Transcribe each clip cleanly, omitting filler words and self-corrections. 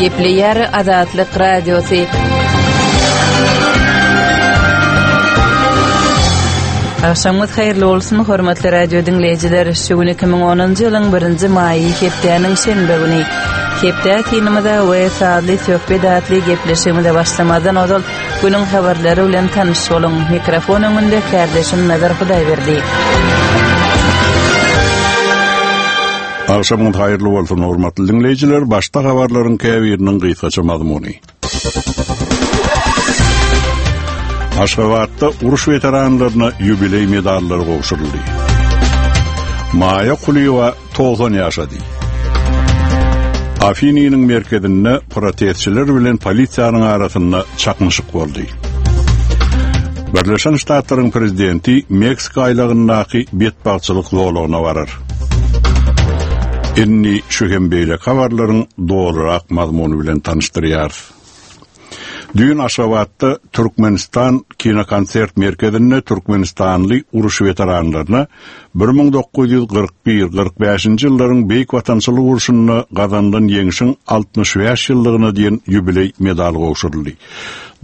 Gepleýär Azatlyk Radiosy. Agşamyňyz haýyrly bolsun, hormatly radio diňleýjiler. Şu gün 2010-njy ýylyň 1-nji maýy, hepdäniň şenbe güni. Hepde synymyza we sazly söhbet atly gepleşigimize başlamazdan ozal Günüň habarlary bilen tanyş boluň. Mikrofon öňünde kärdeşim Nazar Hudaýberdi. Agşamyňyz haýyrly bolsun, hormatly diňleýjiler! Başda habarlaryň käbiriniň gysgaça mazmuny. Aşgabatda uruş weteranlaryna ýubileý medallary gowşuryldy. Maýa Kulyýewa 90 ýaşady. Afinynyň merkezinde protestçiler bilen polisiýanyň arasynda çaknyşyk boldy. Birleşen Ştatlaryň prezidenti Meksika aýlagyndaky betbagtçylyk zolagyna barar. Indi şu hem beýleki habarlaryň dolurak mazmuny bilen tanyşdyrýarys. Düýn Aşgabatda Türkmenistan kinokonsert merkezinde türkmenistanly uruş weteranlaryna 1941, 45-nji ýyllaryň Beýik Watançylyk urşunda gazanylan Ýeňşiň 65 ýyllygyna diýen ýubileý medaly gowşuryldy.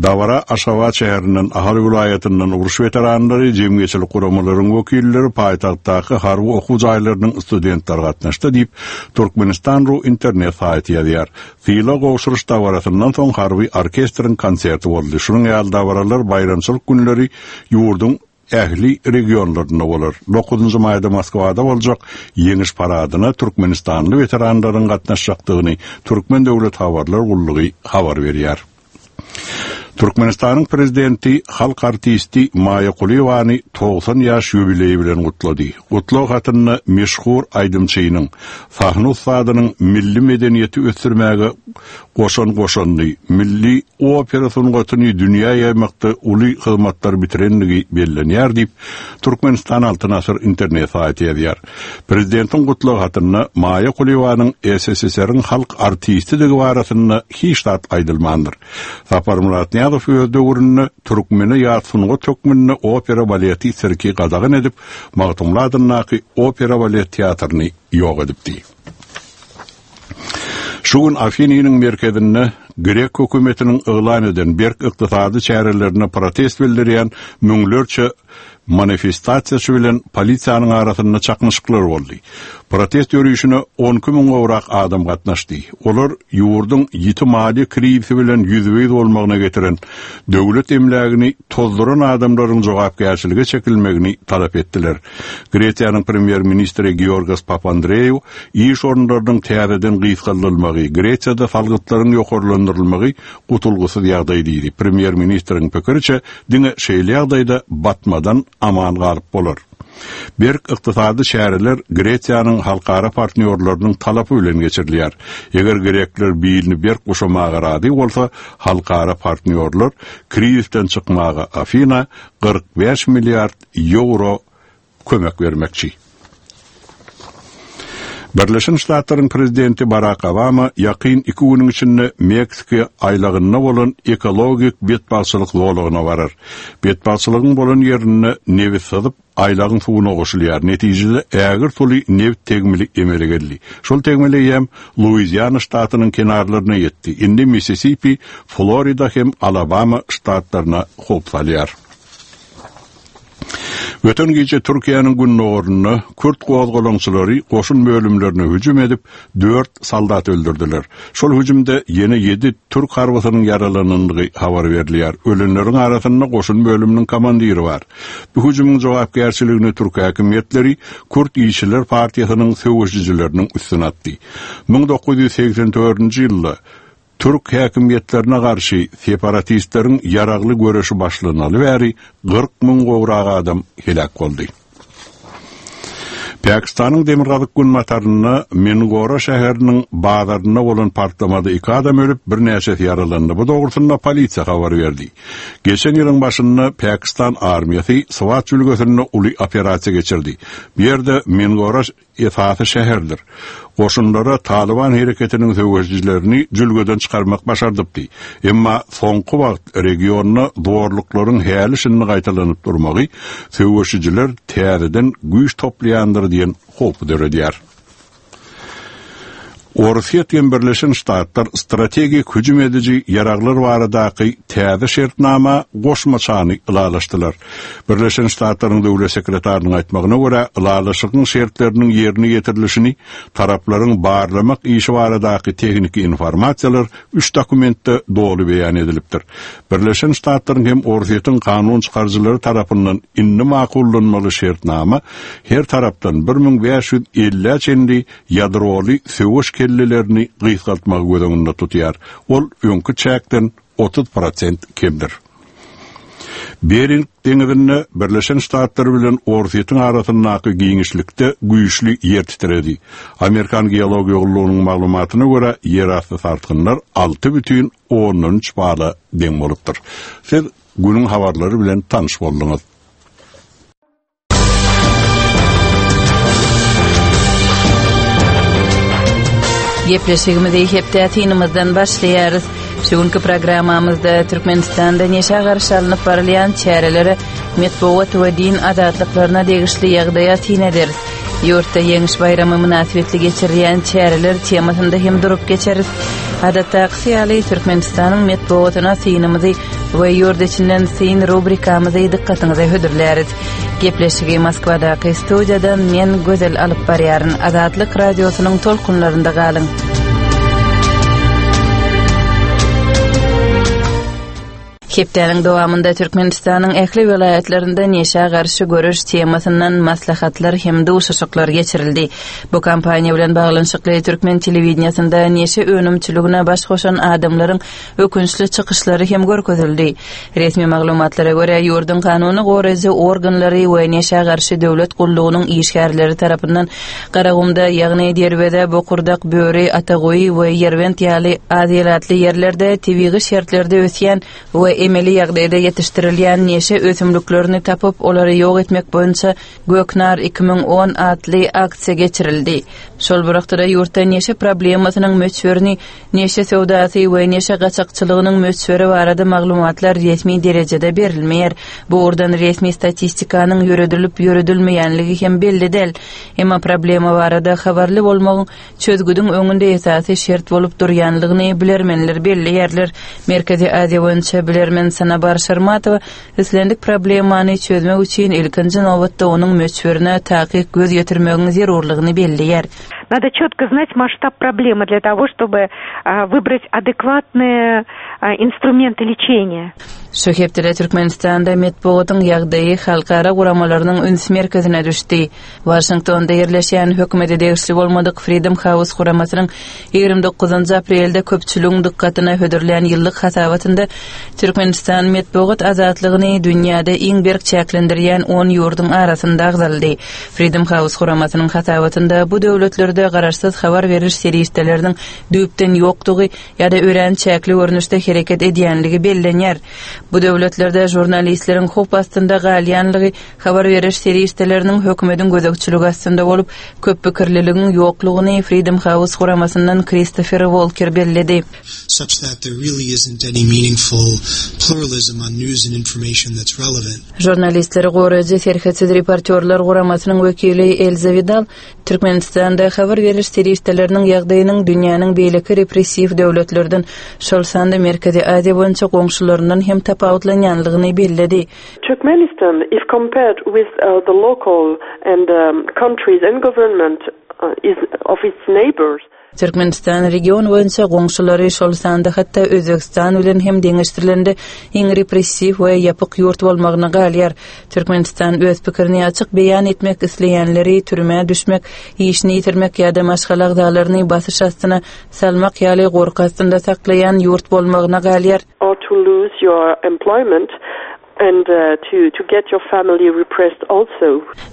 Dabara Aşgabat şäherinden, Ahal welaýatyndan uruş weteranlary, jemgyýetçilik guramalaryň wekilleri, paýtagtdaky harby okuw jaýlarynyň studentleri gatnaşdy diýip, Türkmenistan. Ru internet saýty ýazýar. Sylag gowşuryş dabarasyndan soň harby orkestriň konserti boldy. Şunuň ýaly dabaralar baýramçylyk günleri ýurduň ähli regionlarynda bolar. Dokuzynjy maýda Moskwada boljak Ýeňiş paradyna türkmenistanly weteranlaryň gatnaşjakdygyny Türkmen döwlet habarlar gullugy habar berýär. Türkmenistanyň Prezidenti halk artisti Maýa Kulyýewany 90 ýaş ýubileýi bilen gutlady. Gutlag hatynda meşhur aýdymçynyň, sahna ussadynyň milli medeniýeti ösdürmäge goşan goşandy, milli opera sungatyny dünýä ýaýmakda uly hyzmatlar bitirendigi bellenýär diýip, Türkmenistan Altyn Asyr internet saýty ýazýar. Prezidentiň gutlag hatynda Maýa Kulyýewanyň SSSR-iň halk artistidigi barasynda hiç zat aýdylmandyr. Saparmyrat Nyýazow öz döwründe türkmene ýat sungat hökmünde opera-baleti, sirki gadagan edip, Magtymguly adyndaky opera-balet teatryny ýok edipdi. Şu gün Afinynyň merkezinde grek hökümetiniň yglan eden berk ykdysady çärelerine protest bildirýän müňlerçe manifestasiýaçy bilen polisiýanyň arasynda çaknyşyklar boldy. Protest ýörişine 12 müň gowrak adam gatnaşdy. Olar ýurduň ýiti maliýe krizisi bilen ýüzbe-ýüz bolmagyna getiren döwlet emlägini tozduran adamlaryň jogapkärçilige çekilmegini talap etdiler. Gresiýanyň premýer-ministri Georgos Papandreou iş orunlarynyň täzeden gysgaldylmagy, Gresiýada salgytlaryň ýokarlandyrylmagy gutulgysyz ýagdaý diýdi. Premýer-ministriň pikiriçe, diňe şeýle ýagdaýda batmadan aman galyp bolar. Berk ykdysady çäreler Gresiýanyň halkara partnýorlarynyň talapy bilen geçirilýär. Eger grekler bilini berk guşamaga razy bolsa, halkara partnýorlar krizisden çykmaga Afina 45 milliard ýewro kömek bermekçi. Birleşen Ştatlaryň prezidenti Barak Obama ýakyn iki günüň içinde Meksika aýlagynda bolan ekologik betbagtçylyk zolagyna barar. Betbagtçylygyň bolan ýerinde nebit syzyp, aýlagyň suwuna goşulýar. Netijede ägirt uly nebit tegmili emele geldi. Şol tegmil eýýäm Luiziana ştatynyň kenarlaryna ýetdi. Indi Missisipi, Florida hem Alabama ştatlaryna howp salýar. Öten gije Türkiýäniň gündogarynda kürt gozgalaňçylary goşun bölümlerine hüjüm edip, dört soldat öldürdiler. Şol hüjümde ýene ýedi türk harbysynyň ýaralanandygy habar berilýär. Ölenleriň arasynda goşun bölüminiň komandiri bar. Bu hüjümiň jogapkärçiligini türk häkimiýetleri Kürt işçiler partiýasynyň söweşijileriniň üstüne atdy. 1984-nji ýylda Türk häkimiýetlerine garşy separatistleriň ýaragly göreşi başlanaly bäri 40 müň gowrak adam heläk boldy. Pakistanyň demirgazyk-günbatarynda Mingora şäheriniň bazarynda bolan partlamada iki adam ölüp, birnäçesi ýaralandy. Bu dogrusynda polisiýa habar berdi. Geçen ýylyň başynda Pakistan armiýasy Swat jülgesinde uly operasiýa geçirdi. Bu ýerde Mingora esasy şäherdir. Goşunlara Talyban hereketiniň söweşijilerini jülgeden çykarmak başardypdy. Emma soňky wagt regionda zorluklaryň häli-şindi gaýtalanyp durmagy söweşijiler täzeden güýç toplaýandyr diýen howpy döredýär. Orsýet hem Birleşen Ştatlar strategik hüjüm ediji ýaraglar baradaky täze şertnama goşmaçany ylalaşdylar. Birleşen Ştatlaryň döwlet sekretarynyň aýtmagyna görä, ylalaşygyň şertleriniň ýerine ýetirilişini taraplaryň barlamak işi baradaky tehniki informasiýalar üç dokumentde doly beýan edilipdir. Birleşen Ştatlaryň hem Orsýetiň kanun çykaryjylary tarapyndan indi makullanmaly şertnama her tarapdan 1550-ä çenli ýadroly söweş kellelerini gysgaltmagy göz öňünde tutýar. Ol öňki çäkden 30 prosent kemdir. Bering deňizinde Birleşen Ştatlar bilen Orsýetiň arasyndaky giňişlikde güýçli ýer titredi. Amerikan geologiýa gullugynyň maglumatyna görä, ýerasty sarsgynlar 6,3 bala deň bolupdyr. Siz günüň habarlary bilen tanyş bolduňyz. Gepleşigimizi hepde synymyzdan başlaýarys. Şu günki programmamyzda Türkmenistanda neşä garşy alnyp barylýan çärelere, metbugat we din azatlyklaryna degişli ýagdaýa syn ederis. Ýurtda Ýeňiş baýramy mynasybetli geçirilýän çäreler temasynda hem durup geçeris. Adatdakysy ýaly, Türkmenistanyň metbugatyna synymyzy we ýurt içinden syn rubrikamyzy dykgatyňyza hödürläris. Gepleşigi Moskwadaky studiýadan men Gözel alyp barýaryn. Azatlyk Radiosynyň tolkunlarynda galyň. Hepdäniň dowamynda Türkmenistanyň ähli welaýatlarynda neşä garşy göreş temasyndan maslahatlar hem duşuşyklar geçirildi. Bu kampaniýa bilen baglanyşykly türkmen telewideniýesinde neşe önümçiligine baş goşan adamlaryň ökünçli çykyşlary hem görkezildi. Resmi maglumatlara görä, ýurduň kanuny goraýjy organlary we neşä garşy döwlet gullugynyň işgärleri tarapyndan Garagumda, ýagny Derweze, Bokurdak, Böri, Ataguýy we Ýerbent ýaly az ilatly ýerlerde tebigy şertlerde ösýän we emeli ýagdaýda ýetişdirilýän neşe ösümliklerini tapyp, olary ýok etmek boýunça Göknar 2010 atly aksiýa geçirildi. Şol bir wagtda-da ýurtda neşe problemasynyň möçberini Neşe söwdasy we neşe gaçakçylygynyň möçberi barada maglumatlar resmi derejede berilmeýär. Bu ugurdan resmi statistikanyň ýöredilip-ýöredilmeýänligi hem belli däl. Emma problema barada habarly bolmagyň çözgüdiň öňünde esasy şert bolup durýanlygyny bilermenler belleýärler. Merkezi Aziýa boýunça bilermen Sanabar Şarmatowa islendik problemany çözmek üçin ilkinji nobatda onuň möçberine takyk göz ýetirmegiň zerurlygyny belleýär. Nado çetko znat masştab problemy dlya togo ştoby wybrat adekwadnyye instrumenty leçeniýa. Şu hepdede Türkmenistanda metbugatyň ýagdaýy halkara guramalarynyň üns merkezine düşdi. Waşingtonda ýerleşýän hökümete degişli bolmadyk Freedom House guramasynyň 29 aprelde köpçüligiň dykgatyna hödürlän ýyllyk hasabatynda Türkmenistan metbugat azatlygyny dünýäde iň berk çäklendirýän on ýurduň arasynda agzaldy. Freedom House guramasynyň hasabatynda bu döwletlerde garaşsyz habar beriş serişdeleriniň düýpden ýokdugy ýa-da örän çäkli görnüşde hereket edýänligi bellenýär. Bu döwletlerde žurnalistleriň howp astynda galýanlygy, habar beriş serişdeleriniň hökümetiň gözegçiligi astynda bolup, köppikirliligiň ýoklugyny Freedom House guramasyndan Kristofer Wolker belledi. Such that there really isn't any meaningful pluralism on news and information that's relevant. Žurnalistleri goraýjy Serhetsiz reportýorlar guramasynyň wekili Elza Widal Türkmenistanda habar beriş serişdeleriniň ýagdaýynyň dünýäniň beýleki repressiw döwletlerden, şol sanda Merkezi Aziýa boýunça goňşularyndan hem tapawutlanýanlygyny belledi. Turkmenistan, if compared with the local and countries and government of its neighbors, Türkmenistan region boýunça goňşulary, şol sanda hatda Özbegistan bilen hem deňeşdirilende iň repressiw we ýapyk ýurt bolmagyna galýar. Türkmenistan öz pikirini açyk beýan etmek isleýänleri türmä düşmek, işini ýitirmek ýa-da maşgala agzalaryny basyş astyna salmak ýaly gorky astynda saklaýan ýurt bolmagyna galýar. or to lose your employment and to to get your family repressed also.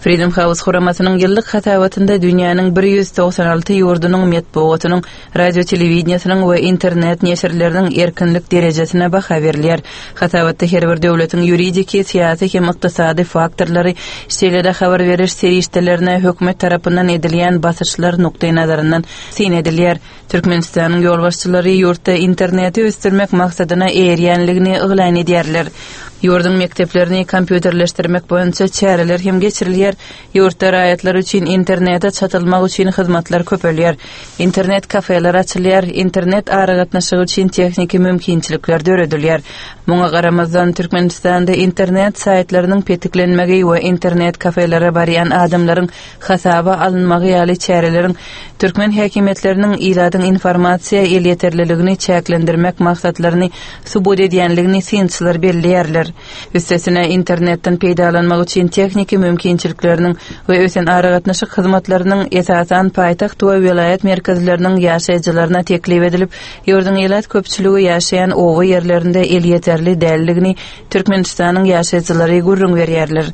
Freedom House guramasynyň ýyllyk hasabatynda dünýäniň 196 ýurdunyň metbugatynyň, radio-telewideniýesiniň we internet neşirleriniň erkinlik derejesine baha berilýär. Hasabatda her bir döwletiň ýuridiki, syýasy hem ykdysady faktorlary, şeýle-de habar beriş serişdelerine hökümet tarapyndan edilýän basyşlar nukdaýnazaryndan syn edilýär. Türkmenistanyň ýolbaşçylary ýurtda interneti ösdürmek maksadyna eýerýänligini yglan edýärler. Ýurduň mekdeplerini kompýuterleşdirmek boýunça çäreler hem geçirilýär, ýurtda raýatlar üçin internete çatylmak üçin hyzmatlar köpelýär, internet kafeler açylýar, internet aragatnaşygy üçin tehniki mümkinçilikler döredilýär. Muňa garamazdan, Türkmenistanda internet saýtlarynyň petiklenmegi we internet kafelere barýan adamlaryň hasaba alynmagy ýaly çäreleriň türkmen häkimiýetleriniň ilatyň informasiýa elýeterliligini çäklendirmek maksatlaryny subut edýänligini synçylar belleýärler. Üstesine, internetden peýdalanmak üçin tehniki mümkinçilikleriniň we ösen aragatnaşyk hyzmatlarynyň esasan paýtagt we welaýat merkezleriniň ýaşaýjylaryna teklip edilip, ýurduň ilat köpçüligi ýaşaýan oba ýerlerinde elýeterli däldigini Türkmenistanyň ýaşaýjylary gürrüň berýärler.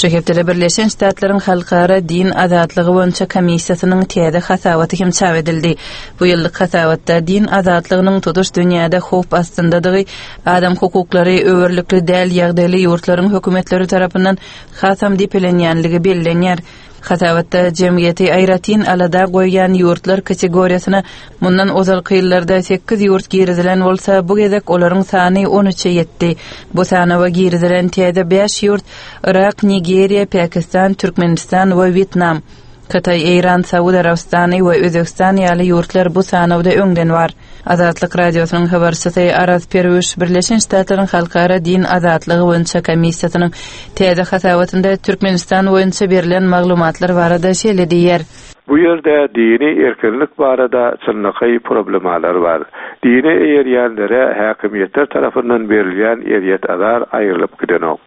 Şu hepdede Birleşen Ştatlaryň Halkara din azatlygy boýunça komissiýasynyň täze hasabaty hem çap edildi. Bu ýyllyk hasabatda din azatlygynyň tutuş dünýäde howp astyndadygy, adam hukuklary öwerlikli däl ýagdaýly ýurtlaryň hökümetleri tarapyndan hasam depelenýänligi bellenýär. Hasabatda jemgyýeti aýratyn alada goýýan ýurtlar kategoriýasyna mundan ozalky ýyllarda sekiz ýurt girizilen bolsa, bu gezek olaryň sany on üçe ýetdi. Bu sanawa girizilen täze bäş ýurt Yrak, Nigeriýa, Pakistan, Türkmenistan we Wýetnam. Hytaý, Eýran, Saud Arabystany we Özbegistan ýaly ýurtlar bu sanawda öňden bar. Azatlyk Radiosynyň habarçysy Araz Perwüş Birleşen Ştatlaryň Halkara din azatlygy boýunça komissiýasynyň täze hasabatynda Türkmenistan boýunça berlen maglumatlar barada şeýle diýýär. Bu ýerde dini erkinlik barada çynlakaý problemalar bar. Dine eýerýänlere häkimiýetler tarapyndan berilýän ezýet-azar aýrylyp gidenok.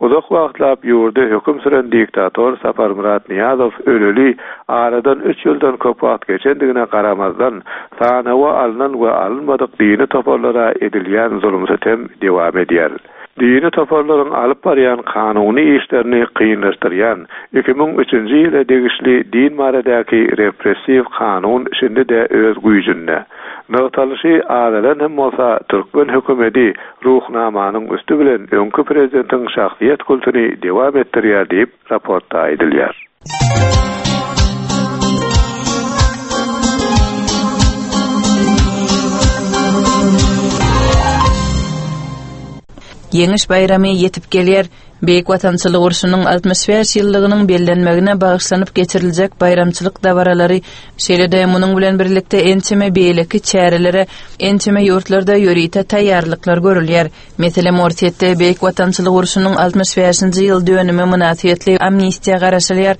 Uzak wagtlap ýurda höküm süren diktator Saparmyrat Nyýazow öleli aradan üç ýyldan köp wagt geçendigine garamazdan, sanawa alnan we alynmadyk dini toparlara edilýän zulum-sütem dewam edýär. Dini toparlaryň alyp barýan kanuny işlerini kynlaşdyrýan 2003-nji ýyla degişli din baradaky repressiw kanun şindi-de öz güýjünde. Nygtalyşy azalan hem bolsa, türkmen hökümeti Ruhnamanyň üsti bilen öňki prezidentiň şahsyýet kultuny dewam etdirýär diýip, raportda aýdylýar. Ýeňiş baýramy ýetip gelýär. Beýik Watançylyk urşunyň 65 ýyllygynyň bellenmegine bagyşlanyp geçiriljek baýramçylyk dabaralary, şeýle-de munuň bilen birlikde ençeme beýleki çärelere ençeme ýurtlarda ýörite taýýarlyklar görülýär. Meselem, Orsýetde Beýik Watançylyk urşunyň 65-nji ýyl dönümi mynasybetli amnistiýa garaşylýar.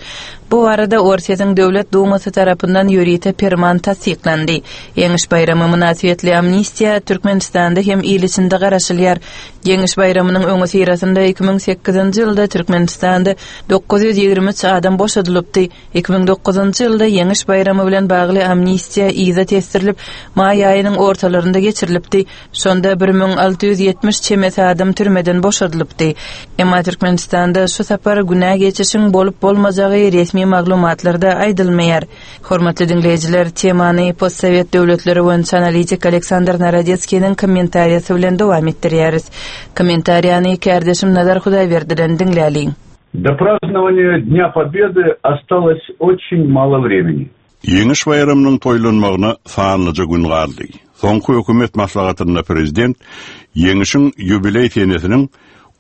Bu barada Orsýetiň Döwlet Dumasy tarapyndan ýörite perman tassyklandy. Ýeňiş baýramy mynasybetli amnistiýa Türkmenistanda hem il içinde garaşylýar. Ýeňiş baýramynyň öňüsyrasynda 2008-nji ýylda Türkmenistanda 923 adam boşadylypdy. 2009-njy ýylda Ýeňiş baýramy bilen bagly amnistiýa yza tesdirilip, maý aýynyň ortalarynda geçirilipdi. Şonda 1670 çemesi adam türmeden boşadylypdy. Emma Türkmenistanda şu sapar günä geçişiň bolup-bolmajagy resmi maglumatlarda aýdylmaýar. Hormatly diňleýjiler, temany postsowet döwletleri boýunça analitik Aleksandr Narodetskiniň kommentariýasy bilen dowam etdirýäris. Kommentariýany kärdeşim Nazar Hudaýberdiden diňläliň. Do prazdnovaniýa Dnýa Pobedy ostaloz oçin malo vremeni. Ýeňiş baýramynyň toýlanmagyna sanlyja gün galdy. Soňky hökümet maslahatynda prezident Ýeňişiň ýubileý senesiniň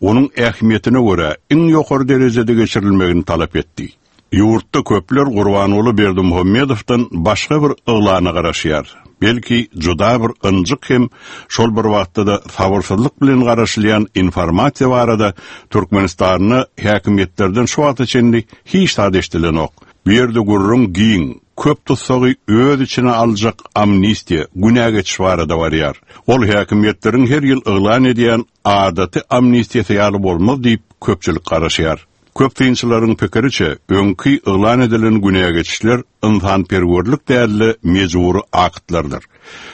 onuň ähmiýetine görä iň ýokary derejede geçirilmegini talap etdi. Ýurtda köpler Gurbanguly Berdimuhamedowdan başga bir yglana garaşýar. Belki, juda bir ynjyk hem şol bir wagtda-da sabyrsyzlyk bilen garaşylýan informasiýa barada Türkmenistanda häkimiýetlerden şu wagta çenli hiç zat eşidilenok. Bu ýerde gürrüň giň, köp tussagy öz içine aljak amnistiýa, günä geçiş barada barýar. Ol häkimiýetleriň her ýyl yglan edýän adaty amnistiýasy ýaly bolmaz diýip, köpçülik garaşýar. Köp synçylaryň pikiriçe, öňki yglan edilen günä geçişler ynsanperwerlik däl-de, mejbury aktlardyr.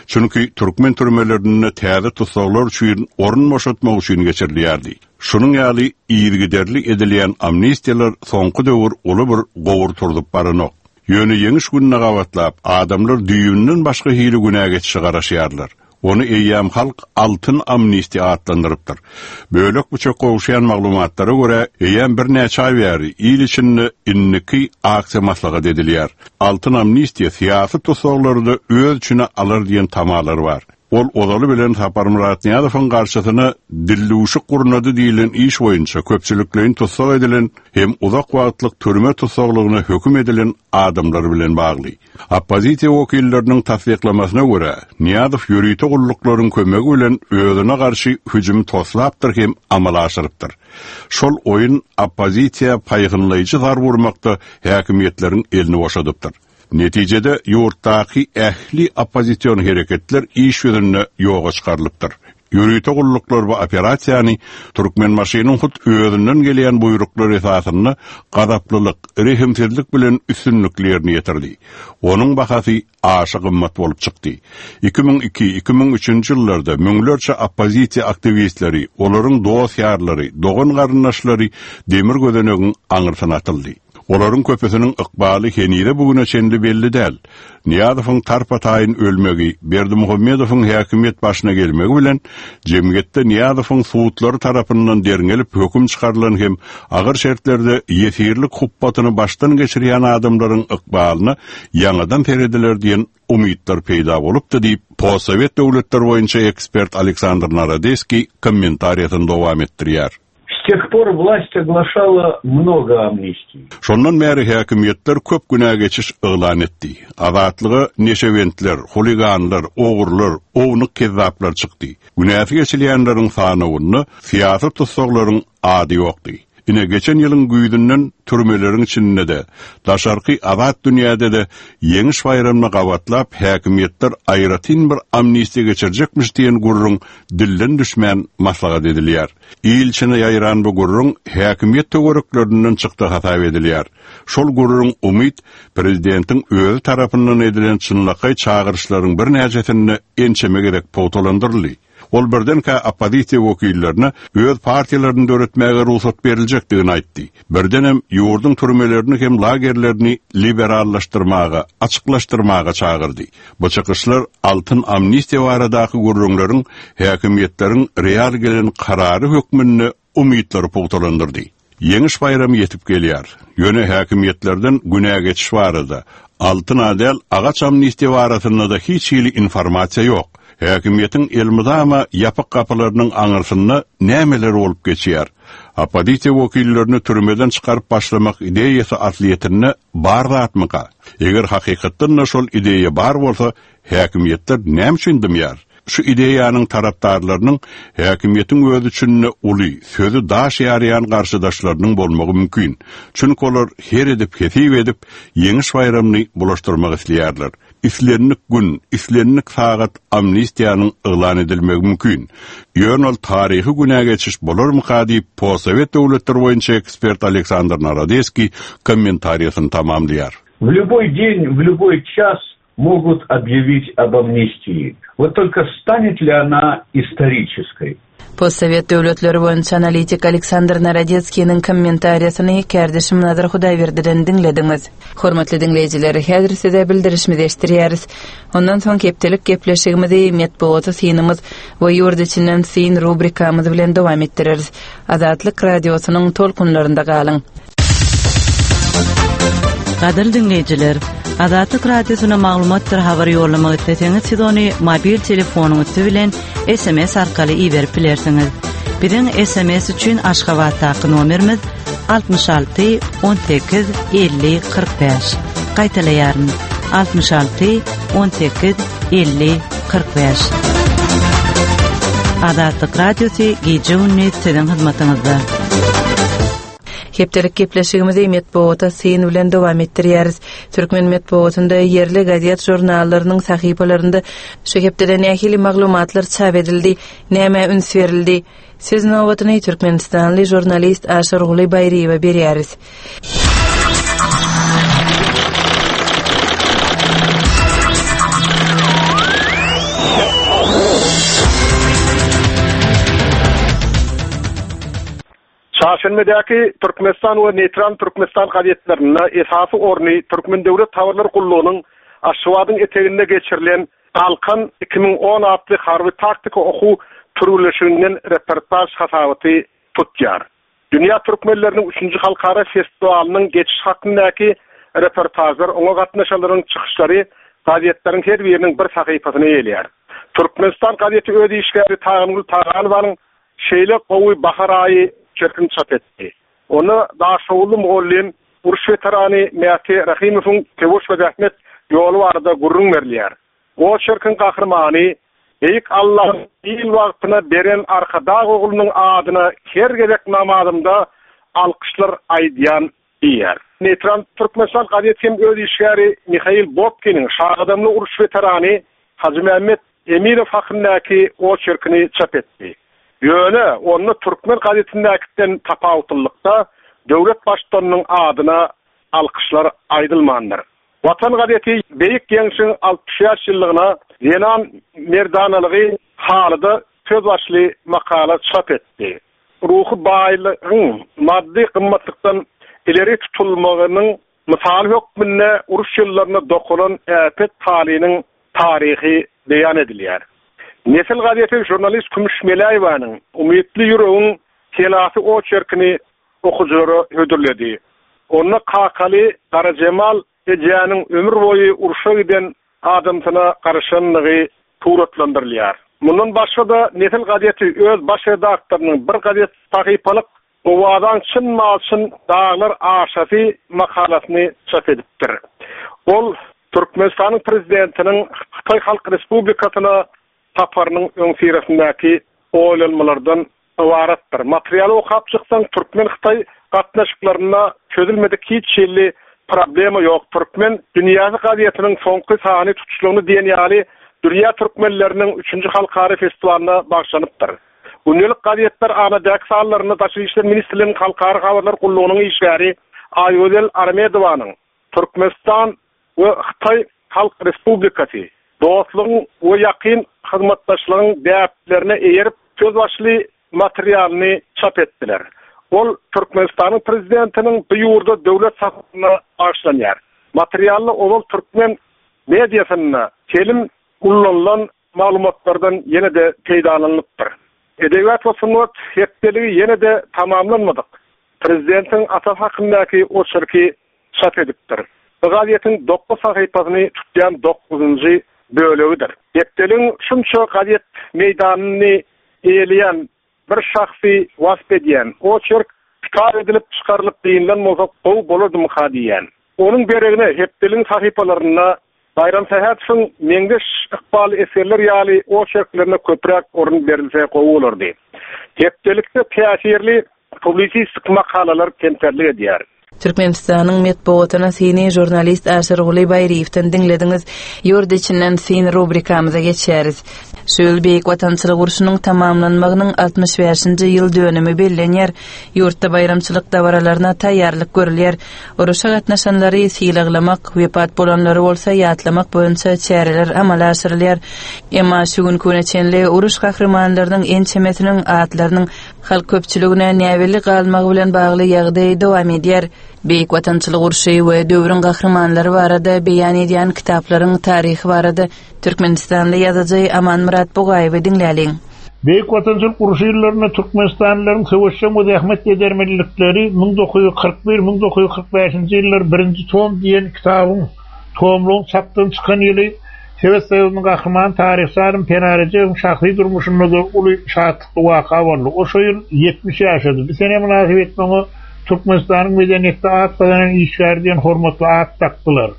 Çünki türkmen türmelerinde täze tussaglar üçin orun boşatmak üçin geçirilýärdi. Şunuň ýaly yzygiderli edilýän amnistiýalar soňky döwür uly bir gowur turzup baranok. Ýöne Ýeňiş gününe gabatlap, adamlar düýbünden başga hili günä geçişe garaşýarlar. Ony eýýäm halk altyn amnistiýa atlandyrypdyr. Bölek-büçek gowuşýan maglumatlara görä, eýýäm birnäçe aý bäri il içinde indiki aksiýa maslahat edilýär. Altyn amnistiýa syýasy tussaglary-da öz içine alar diýen tamalar bar. Ol ozaly bilen Saparmyrat Nyýazowyň garşysyna dildüwşük gurnady diýlen iş boýunça köpçülikleýin tussag edilen hem uzak wagtlyk türme tussaglygyna höküm edilen adamlar bilen bagly. Oppozisiýa wekilleriniň tassyklamasyna görä, Nyýazow ýörite gulluklaryň kömegi bilen özüne garşy hüjümi toslapdyr hem amala aşyrypdyr. Şol oýun oppozisiýa paýhynlaýjy zarba urmakda häkimiýetleriň elini boşadypdyr. Netijede, ýurtdaky ähli oppozision hereketler iş ýüzünde ýoga çykarylypdyr. Ýörite gulluklar bu operasiýany Türkmenbaşynyň hut özünden gelýän buýruklar esasynda gazaplylyk, rehimsizlik bilen üstünlikli ýerine ýetirdi. Onuň bahasy aşa gymmat bolup çykdy. 2002, 2003-nji ýyllarda müňlerçe oppozisiýa aktiwistleri, olaryň dost-ýarlary, dogan-garyndaşlary demir gözenegiň aňyrsyna atyldy. Olaryň köpüsiniň ykbaly henize-bu güne çenli belli däl. Nyýazowyň tarpa-taýyn ölmegi, Berdimuhamedowyň häkimiýet başyna gelmegi bilen, jemgyýetde Nyýazowyň sudlary tarapyndan derňelip höküm çykarylan hem agyr şertlerde ýesirlik hupbatyny başdan geçirýän adamlaryň ykbalyna ýaňadan serediler diýen umytlar peýda bolupdy diýip, postsowet döwletler boýunça ekspert Aleksandr Narodeskiý kommentariýasyny dowam etdirýär. S тех пор власть оглашала много амнистий. Şondan bäri häkimiýetler köp günä geçiş yglan etdi. Azatlyga neşebentler, huliganlar, ogrular, ownuk kezzaplar çykdy. Günäsi geçilýänleriň sanawynda syýasy tussaglaryň ady ýokdy. Ine, geçen ýylyň güýzünden türmeleriň içinde-de, daşarky azat dünýäde-de Ýeňiş baýramyna gabatlap häkimiýetler aýratyn bir amnistiýa geçirjekmiş diýen gürrüň dilden düşmän maslahat edilýär. Il içine ýaýran bu gürrüň häkimiýet töwereklerinden çykdy hasap edilýär. Şol gürrüň umyt prezidentiň özi tarapyndan edilen çynlakaý çagyryşlaryň birnäçesinde ençeme gezek pugtalandyryldy. Ol birdenkä oppozisiýa wekillerine öz partiýalaryny döretmäge rugsat beriljekdigini aýtdy. Birdenem ýurduň türmelerini hem lagerlerini liberallaşdyrmaga, açyklaşdyrmaga çagyrdy. Bu çykyşlar altyn amnistiýa baradaky gürrüňleriň häkimiýetleriň real gelen karary hökmünde umytlary pugtalandyrdy. Ýeňiş baýramy ýetip gelýär. Ýöne häkimiýetlerden günä geçiş barada, altyn-a däl, agaç amnistiýa barasynda-da hiç hili informasiýa ýok. Häkimiýetiň elmydama ýapyk gapylarynyň aňyrsynda nämeler bolup geçýär? Oppozisiýa wekillerini türmeden çykaryp başlamak ideýasy aslyýetinde bar zatmyka? Eger hakykatdan-da şol ideýa bar bolsa, häkimiýetler näme üçin dymýar? Şu ideýanyň tarapdarlarynyň häkimiýetiň öz içinde uly, sözi daş ýarýan garşydaşlarynyň bolmagy mümkin. Çünki olar her edip-hesip edip, Ýeňiş baýramyny bulaşdyrmak isleýärler. Islendik gün, islendik sagat amnistiýanyň yglan edilmegi mümkin. Ýöne ol taryhy günä geçiş bolarmyka diýip, postsowet döwletleri boýunça ekspert Aleksandr Narodeskiý kommentariýasyny tamamlaýar. W lýuboý deň, w lýuboý ças Могут объявить об амнистии. Вот только станет ли она исторической? Postsowet döwletleri boýunça analitik Aleksandr Narodetskiniň kommentariýasyny kärdeşim Nazar Hudaýberdiden diňlediňiz. Hormatly diňleýjiler, häzir size bildirişimizi eşitdirýäris. Ondan soň hepdelik gepleşigimizi Metbugata synymyz we ýurt içinden syn rubrikamyz bilen dowam etdireris. Azatlyk Radiosynyň tolkunlarynda galyň! Gadyrly diňleýjiler, Azatlyk Radiosyna maglumatdyr habar ýollamak isleseňiz, siz ony mobil telefonyň üsti bilen SMS arkaly iberip bilersiňiz. Biziň SMS üçin Aşgabatdaky nomerimiz 66 18 50 45. Gaýtalaýaryn, 66 18 50 45. Azatlyk Radiosy gije-gündiz siziň hyzmatyňyzda. Hepdelik gepleşigimizi metbugata syn bilen dowam etdirýäris. Türkmen metbugatynda ýerli gazet-žurnallarynyň sahypalarynda şu hepdede nähili maglumatlar çap edildi, nämä üns berildi? Söz nobatyny türkmenistanly žurnalist Aşyrguly Baýryýewe berýäris. Çarşenbedäki Türkmenistan we Neýtral Türkmenistan gazetlerinde esasy orny Türkmen döwlet habarlar gullugynyň Aşgabadyň eteginde geçirilen. Galkan 2010 atly harby-taktiki okuw türgenleşiginden reportaž hasabaty tutýar. Dünýä türkmenleriniň üçünji halkara festiwalynyň geçişi hakyndaky reportažlar, oňa gatnaşanlaryň çykyşlary gazetleriň her biriniň bir sahypasyny eýeleýär. Türkmenistan gazeti öz işgäri Tagangül Taganowanyň Şeýle gowy bahar aýy çerkini çap etdi. Onda daşoguzly mugallym, uruş weterany Mäti Rahymowyň söweş we zähmet ýoly barada gürrüň berilýär. Oçerkiň gahrymany, Beýik Allanyň il wagtyna beren Arkadag oglunyň adyna her gezek namazymda alkyşlar aýdýan diýýär. Neýtral Türkmenistan gazeti hem öz işgäri Mihail Bobkiniň Şagadamly uruş weterany Hajymämmet Emirow hakyndaky oçerkini çap etdi. Ýöne onda türkmen gazetindäkiden tapawutlylykda döwlet baştutanynyň adyna alkyşlar aýdylmandyr. Watan gazeti Beýik Ýeňşiň 65 ýyllygyna zenan merdanalygy halyda söz başly makala çap etdi. Ruhy baýlygyň maddy gymmatlykdan ileri tutulmagynyň mysaly hökmünde uruş ýyllarynda dokalan äpet halynyň taryhy beýan edilýär. Nesil gazeti žurnalist Kümüş Meläýewanyň Umytly ýüregiň selasy oçerkini okyjylara hödürledi. Onda kakaly Garajemal ejäniň ömür boýy urşa giden adamsyna garaşandygy suratlandyrylýar. Mundan başga-da Nesil gazeti öz baş redaktorynyň bir gazet sahypalyk Owazaň çyn-malçyn daglar aşasy makalasyny çap edipdir. Ol Türkmenistanyň Prezidentiniň Hytaý Halk Respublikasyna saparynyň öňüsyrasyndaky oýlanmalardan ybaratdyr. Materialy okap çyksaň, türkmen-hytaý gatnaşyklarynda çözülmedik hiç hili problema ýok. Türkmen dünýäsi gazetiniň soňky sany tutuşlygyny diýen ýaly dünýä türkmenleriniň üçünji halkara festiwalyna bagyşlanypdyr. Gündelik gazetler Anadäki sanlarynda Daşary işler ministrliginiň Halkara habarlar gullugynyň işgäri Aýgözel Aramedowanyň Türkmenistan we Hytaý Halk Respublikasy, dostlugyň we ýakyn hyzmatdaşlygyň däplerine eýerip söz başly materialyny çap etdiler. Ol Türkmenistanyň Prezidentiniň bu ýurda döwlet saparyna bagyşlanýar. Materialda ozal türkmen mediasynda telim ulanylan maglumatlardan ýene-de peýdalanylypdyr. Edebiýat we sungat hepdeligi ýene-de tamamlanmadyk Prezidentiň atasy hakyndaky oçerki çap edipdir. Bu gazetiň dokuz sahypasyny tutýan dokuzynjy bölegidir. Hepdeligiň şunça gazet meýdanyny eýeleýän bir şahsy wasp edýän oçerk kitap edilip çykarylyp dynylan bolsa gowy bolardymyka diýýän. Onuň deregine hepdeligiň sahypalarynda Baýram Sähetowyň Meňzeş ykbally esgerler ýaly oçerklerine köpräk orun berilse gowy bolardy. Hepdelikde täsirli publisistik makalalar kemterlik edýär. Türkmenistanyň metbugatyna syny žurnalist Aşyrguly Baýryýewden diňlediňiz. Ýurt içinden syn rubrikamyza geçýäris. Şu ýyl Beýik Watançylyk urşunyň tamamlanmagynyň 65-nji ýyl dönümi bellenýär. Ýurtda baýramçylyk dabaralaryna taýýarlyk görülýär. Uruşa gatnaşanlary sylaglamak, wepat bolanlary bolsa ýatlamak boýunça çäreler amala aşyrylýar. Emma şu günki güne çenli uruş gahrymanlarynyň ençemesiniň atlarynyň halk köpçüligine näbelli galmagy bilen bagly ýagdaý dowam edýär. Beýik Watançylyk urşy we döwrüň gahrymanlary barada beýan edýän kitaplaryň taryhy barada türkmenistanly ýazyjy Amanmyrat Bugaýewi diňläliň. Beýik Watançylyk urşy ýyllarynda türkmenistanlylaryň söweşjeň we zähmet edermenlikleri 1941, 1945-nji ýyllar birinji tom diýen kitabyň tomlugyň çapdan çykan ýyly Sowet Soýuzynyň Gahrymany taryhçy alym Pena Rejebiň şahsy durmuşynda-da uly şatlykly waka boldy. O şo ýyl 70 ýaşady. Bu sene mynasybetli oňa Türkmenistanyň medeniýetde at gazanan işgäri diýen hormatly at dakdylar.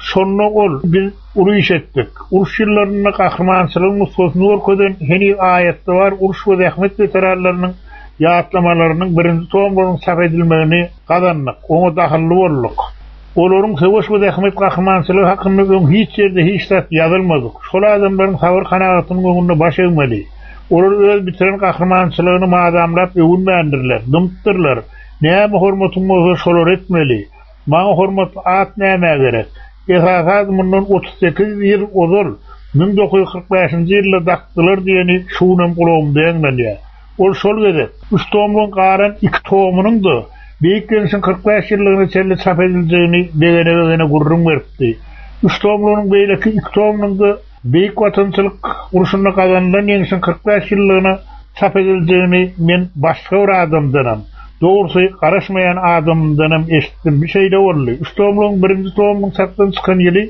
Şonda ol, Biz uly iş etdik. Uruş ýyllarynda gahrymançylygyň nusgasyny görkezen, heniz aýatda bar uruş we zähmet weteranlarynyň ýatlamalarynyň birinji tomlugynyň çap edilmegini gazandyk, oňa dahylly bolduk. Olaryň söweş we zähmet gahrymançylygy hakynda öň hiç ýerde hiç zat ýazylmadyk. Şol adamlaryň sabyr-kanagatynyň öňünde baş egmeli. Olar öz bitiren gahrymançylygyny mazamlap öwünmändirler, dymypdyrlar. Näme hormatyň bolsa şolary etmeli. Maňa hormatly at nämä gerek? Esasy ady mundan 38 ýyl ozal, 1945-nji ýylda dakdylar diýeni şu günem gulagymda ýaňlanýar. Ol şol gezek, üç tomlugyň galan iki tomunyň-da Beýik Ýeňşiň 45 ýyllygyna çenli çap ediljegini begene-begene gürrüň beripdi. Üç tomlugynyň beýleki iki tomunyň-da. Beýik Watançylyk urşunda gazanylan ýeňşiň 45 ýyllygyna çap ediljegini men başga bir adamdanam, dogrusy, garaşmaýan adamymdanam eşitdim. Bu şeýle boldy. Üç tomlugyň birinji tomunyň çapdan çykan ýyly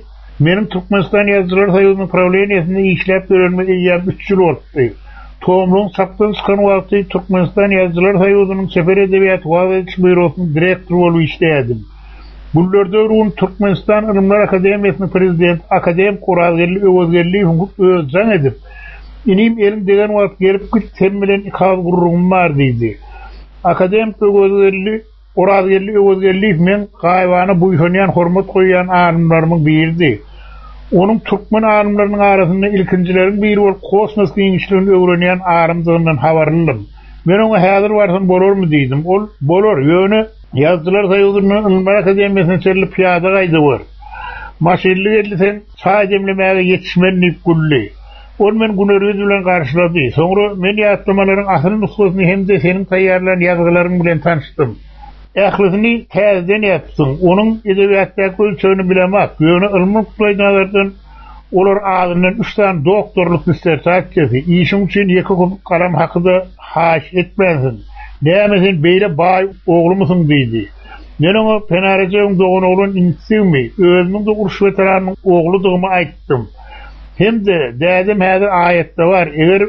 meniň Türkmenistan Ýazyjylar soýuzynyň prawleniýesinde işläp ýörenime eýýäm üç ýyl bolupdy. Tomlugyň çapdan çykan wagty Türkmenistan Ýazyjylar soýuzynyň çeper edebiýaty wagyz ediş býurosynyň direktory bolup işleýärdim. Günlerde bir gün Türkmenistan Ylymlar akademiýasynyň prezidenti akademik Orazgeldi Öwezgeldiýewiň hut özi jaň edip, Inim, eliň degen wagt gelip git, sen bilen iki agyz gürrüňim bar diýdi. Akademik Öwezgeldi Orazgeldi Öwezgeldiýew meň gaýybana buýsanýan, hormat goýýan alymlarymyň biridi. Onuň türkmen alymlarynyň arasynda ilkinjileriň biri bolup kosmos giňişligini öwrenýän alymdygyndan habarlydym. Men oňa häzir barsam bolarmy diýdim. Ol, Bolar, ýöne Ýazyjylar soýuzyndan Ylymlar akademiýasyna çenli pyýada gaýdawer. Maşynly geldiseň, çaý demlemäge ýetişmen diýip güldi. Ol meni güler ýüz bilen garşylady. Soňra men ýatlamalaryň asyl nusgasyny hem-de seniň taýýarlan ýazgylaryň bilen tanyşdym. Ählisini täzeden ýazypsyň. Onuň edebiýatdaky ölçegini bilemok, ýöne ylmy nukdaýnazardan olar azyndan üç sany doktorlyk dissertasiýasy, işiň üçin ýeke köpük galam haky-da haýyş etmänsiň. Näme sen beýle baý oglumysyň diýdi. Men oňa Pena Rejebiň doganoglan inisigimi, özümiň-de uruş weteranynyň ogludygymy aýtdym. Hem-de, dädem häzir aýatda bar, eger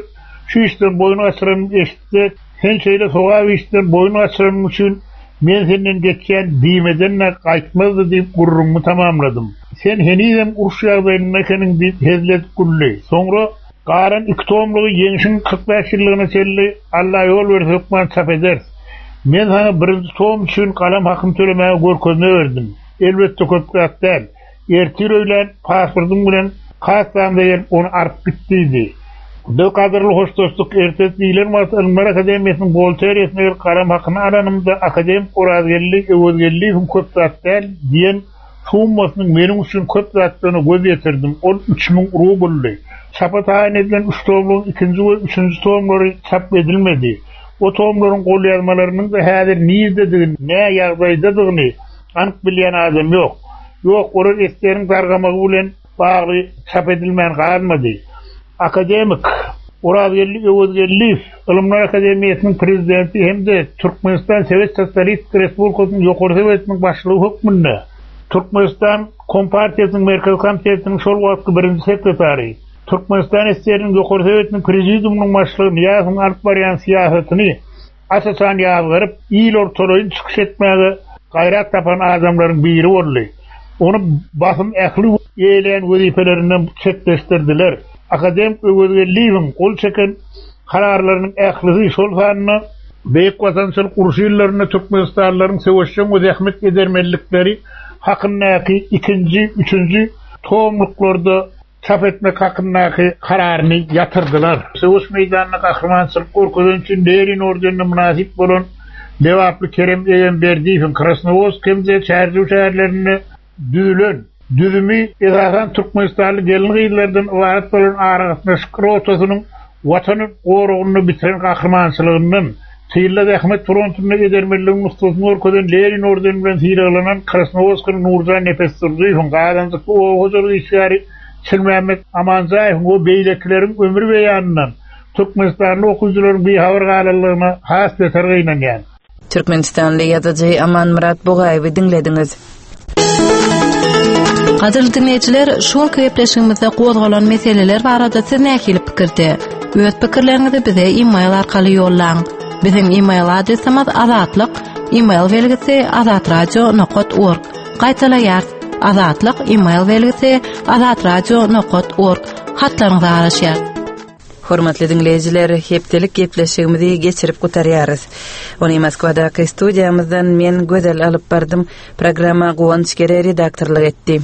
şu işden boýun gaçyranymy eşitse, sen şeýle sogap işden boýun gaçyranyň üçin men senden geçýän diýmeden-de gaýtmazdy diýip gürrüňimi tamamladym. Sen henizem uruş ýagdaýynda ekeniň diýip hezil edip güldi. Soňra Galan iki tomlugy Ýeňşiň 45 ýyllygyna çenli Alla ýol berse hökman çap ederis. Men saňa birinji tom üçin galam hakyny tölemäge görkezme berdim. Elbetde köp zat däl. Ertir öýlän pasportyň bilen kassamyza gelip ony alyp git diýdi. Biz gadyrly hoşlaşdyk. Ertesi diýlen wagty Ylymlar akademiýasynyň buhgalteriýasyna gelip galam hakyny alanymda akademik Orazgeldi Öwezgeldiýewiň köp zat däl diýen summasynyň meniň üçin köp zatdygyna göz ýetirdim. Ol 3000 rubldy. Çapa taýyn edilen üç tomlugyň ikinji we üçünji tomlary çap edilmedi. O tomlaryň golýazmalarynyň-da häzir nirededigini, nä ýagdaýdadygyny anyk bilýän adam ýok. Ýok, olar SSR-iň dargamagy bilen bagly çap edilmän galmady. Akademik Orazgeldi Öwezgeldiýew Ylymlar akademiýasynyň prezidenti hem-de Türkmenistan Sowet Sosialistik Respublikasynyň Ýokary Sowetiniň başlygy hökmünde Türkmenistan Kompartiýasynyň Merkezi Komitetiniň şol wagtky birinji sekretary, Türkmenistan SSR-niň Ýokary Sowetiniň Prezidiumynyň başlygy Nyýazowyň alyp barýan syýasatyny aç-açan ýazgaryp, il ortalaýyn çykyş etmäge gaýrat tapan adamlaryň biri boldy. Ony basym ähli eýeleýän wezipelerinden çetleşdirdiler. Akademik Öwezgeldiýewiň gol çeken kararlarynyň ählisi, şol sanda Beýik Watançylyk urşy ýyllarynda türkmenistanlylaryň söweşjeň we zähmet edermenlikleri hakyndaky ikinji, üçünji tomluklarda çap etmek hakyndaky kararyny ýatyrdylar. Söweş meýdanynda gahrymançylyk görkezeni üçin Lenin ordenine mynasyp bolan lebaply Kerem Egemberdiýewiň Krasnowodsk hem-de Çärjew şäherlerinde düzülen, düzümi esasan türkmenistanly gelin-gyzlardan ybarat bolan aragatnaşyk rotasynyň Watan goragynda bitiren gahrymançylygyndan, tylda zähmet frontunda edermenligiň nusgasyny görkezen Lenin ordeni bilen sylaglanan Krasnowodskili Nurjan Nepesdurdyýewiň, gazanjykly oba hojalyk işgäri Çilmämmet Amanjaýewiň we beýlekileriň ömür beýanyndan türkmenistanly okyjylaryň bihabar galanlygyna has beter gynanýan. Türkmenistanly ýazyjy Amanmyrat Bugaýewi diňlediňiz. Gadyrly diňleýjiler, şu günki gepleşigimizde gozgalan meseleler barada siz nähili pikirde? Öz pikirleriňizi bize e-mail arkaly ýollaň. Biziň e-mail adresimiz azatlyk e-mail belgisi azatradio.org. Gaýtalaýarys. Azatlyk e-mail belgisi azatradio.org. Hatlaryňyza garaşýarys. Hormatly diňleýjiler, hepdelik gepleşigimizi geçirip gutarýarys. Ony Moskwadaky studiýamyzdan men Gözel alyp bardym. Programma Guwanç Gere redaktorlyk etdi.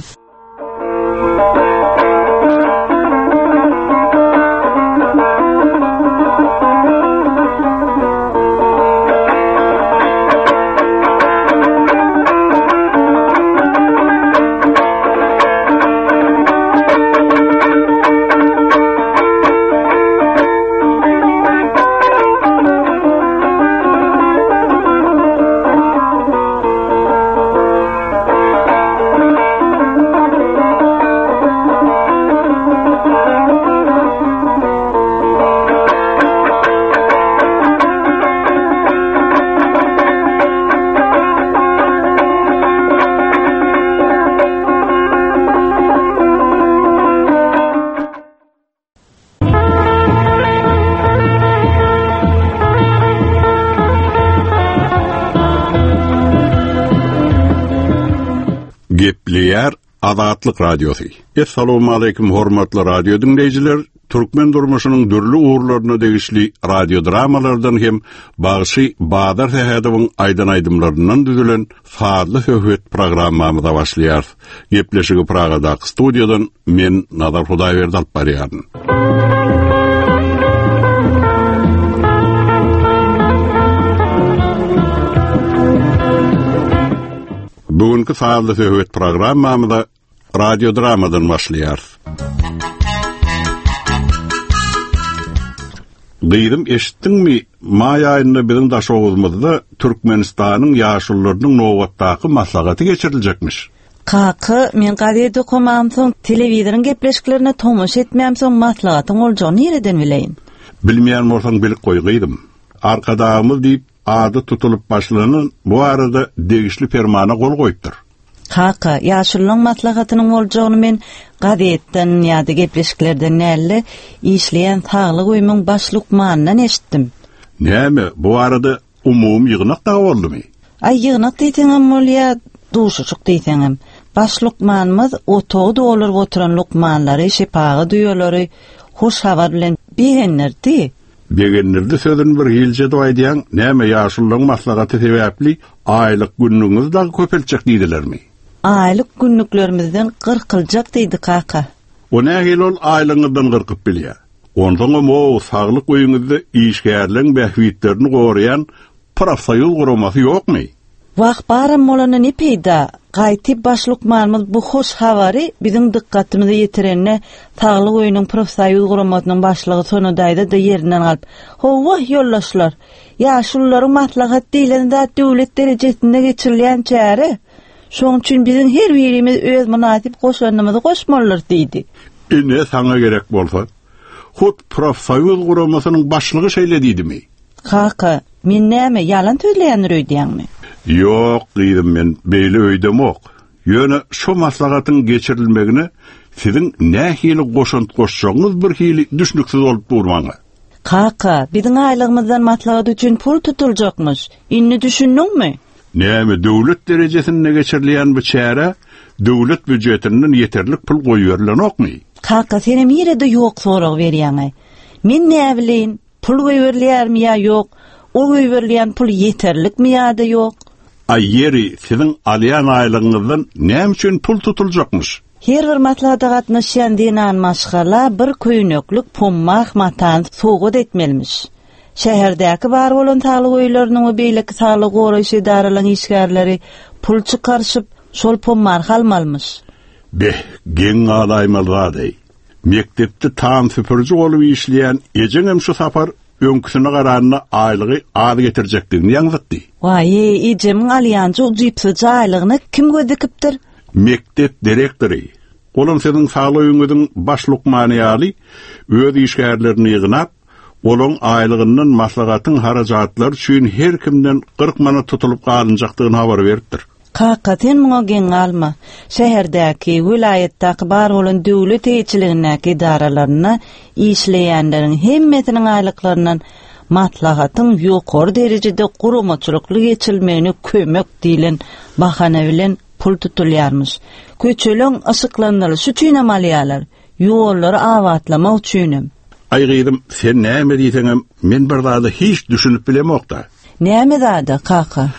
Gepleýär Azatlyk Radiosy. Essalawmaleýkim hormatly radio diňleýjiler! Türkmen durmuşynyň dürli ugurlaryna degişli radiodramalardan hem bagşy Bazar Sähedowyň aýdan aýdymlaryndan düzülen sazly söhbet programmamyza başlaýarys. Gepleşigi Pragadaky studiýadan men Nazar Hudaýberdi alyp barýaryn. Bu günki sazly söhbet programmamyza radiodramadan başlaýarys. Gyzym eşitdiňmi, maý aýynda biziň Daşoguzymyzda Türkmenistanyň ýaşulularynyň nobatdaky maslahaty geçiriljekmiş. Kaka, men gazet okamamsoň, telewizoryň gepleşiklerine tomaşa etmämsoň maslahatyň boljagyny nireden bileýin? Bilmeýän bolsaň bilip goý gyzym. Arkadagymyz diýip ady tutulyp başlanan bu barada degişli permana gol goýupdyr. Kaka, ýaşululaň maslahatynyň boljagyny men gazetden ýa-da gepleşiklerden däl-de, işleýän saglyk öýümiň baş lukmanyndan eşitdim. Näme, bu barada umumy ýygnak dagy boldumy? Aý, ýygnak diýseňem bolýa, duşuşyk diýseňem. Baş lukmanymyz otagy dolduryp oturan lukmanlary, şepagat uýalary hoş habar bilen begendirdi. Begendirdi sözüni bir hilje edip aýdýaň, näme ýaşululaň maslahaty sebäpli aýlyk günlügiňizi dagy köpeltjek diýdilermi? Aýlyk günlüklerimizden gyrkyljak diýdi kaka. O nähili ol aýlygyňyzdan gyrkyp bilýä? Onsoňam o saglyk öýüňizde işgärleň bähbitlerini goraýan profsoýuz guramasy ýokmy? Wah, baram bolanda ne peýda? Gaýtyp baş lukmanymyz bu hoş habary biziň dykgatymyza ýetirende, Saglyk öýüniň profsoýuz guramasynyň başlygy Sona daýza-da ýerinden galyp, Hawa, ýoldaşlar, ýaşulularyň maslahat diýlen zat döwlet derejesinde geçirilýän çäre. Şoň üçin biziň her birimiz öz mynasyp goşandymyzy goşmalydyrys diýdi. Ine, saňa gerek bolsa. Hut profsoýuz guramasynyň başlygy şeýle diýdimi? Kaka, men näme, ýalan sözleýändir öýdýäňmi? Ýok, gyzym, men beýle öýdemok. Ýöne şo maslahatyň geçirilmegine siziň nähili goşant goşjagyňyz birhili düşnüksiz bolup dur maňa. Kaka, biziň aýlygymyzdan maslahat üçin pul tutuljakmyş. Indi düşündiňmi? Näme, döwlet derejesinde geçirilýän bu çärä döwlet býujetinden ýeterlik pul goýberilenokmy? Kaka, senem nirede ýok sorag berýäň-aý. Men näbileýin, Pul goýberilýärmi ýa ýok? O goýberilýän pul ýeterlikmi ýa-da ýok? Aý, ýeri, siziň alýan aýlygyňyzdan näme üçin pul tutuljakmyş? Her bir maslahata gatnaşýan zenan maşgala bir köýneklik pommah matany sowgat etmelimiş. Şäherdäki bar bolan saglyk öýleriniň we beýleki saglygy goraýyş edaralaryň işgärleri pul çykaryşyp, şol pommarhy almalymyş. Beh, geň galaýmaly zad-eý. Mekdepde tam süpüriji bolup işleýän ejeňem şu sapar öňküsine garanda aýlygy az getirjekdigini ýaňzytdy. Waý, ejemiň alýanja ujypsyzja aýlygyna kim göz dikipdir? Mekdep direktory. Olam siziň saglyk öýüňiziň baş lukmany ýaly öz işgärlerini ýygnap, olaň aýlygyndan maslahatyň harajatlary üçin her kimden 40 manat tutulyp galynjakdygyny habar beripdir. Kaka, sen muňa geň galma. Şäherdäki, welaýatdaky bar bolan döwlet eýeçiligindäki edaralarynda işleýänleriň hemmesiniň aýlyklaryndan maslahatyň ýokary derejede guramaçylykly geçirilmegine kömek diýlen bahana bilen pul tutulýarmyş. Köçeleň yşyklandyrylyşy üçinem alýarlar, ýollary abatlamak üçinem. Aý gyzym, sen näme diýseňem, men bir zada hiç düşünip bilemok-da. Näme zada, kaka?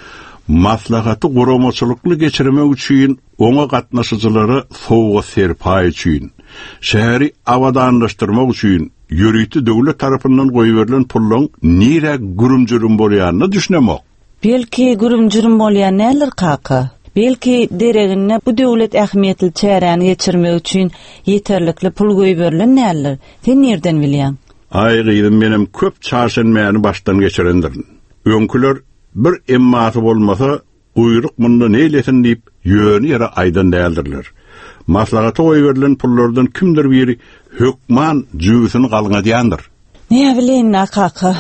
Maslahaty guramaçylykly geçirmek üçin oňa gatnaşyjylara sowgat-serpaý üçin, şäheri abadanlaşdyrmak üçin ýörite döwlet tarapyndan goýberilen pullaň nirä gürüm-jürüm bolýanyna düşünemok. Belki, gürüm-jürüm bolýan däldir, kaka? Belki, deregine bu döwlet ähmiýetli çäräni geçirmek üçin ýeterlikli pul goýberilen däldir? Sen nirden bilýäň? Aý gyzym menem köp çarşenbäni başdan geçirendirin. Öňküler bir emmasy bolmasa guýruk munda neýlesin diýip ýöne ýere aýdan däldirler. Maslahata goýberilen pullardan kimdir biri hökman jübüsini galňadýandyr. Näbileýin-dä kaka.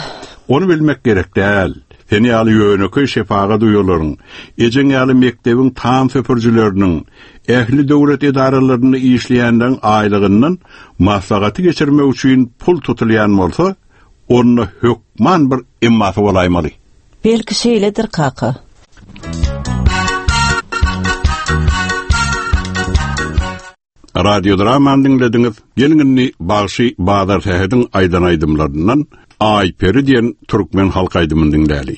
Ony bilmek gerek däl. Sen ýaly ýönekeý şepagat uýalaryň, ejeň ýaly mekdebiň tam süpürijileriniň, ähli döwlet edaralarynda işleýänleriň aýlygyndan maslahaty geçirmek üçin pul tutulýan bolsa, onda hökman bir emmasy bolaýmaly. Belki şeýledir, kaka. Radiodramany diňlediňiz. Geliň indi bagşy Bazar Sähediň aýdan aýdymlaryndan Aýperi diýen türkmen halk aýdymyny diňläli.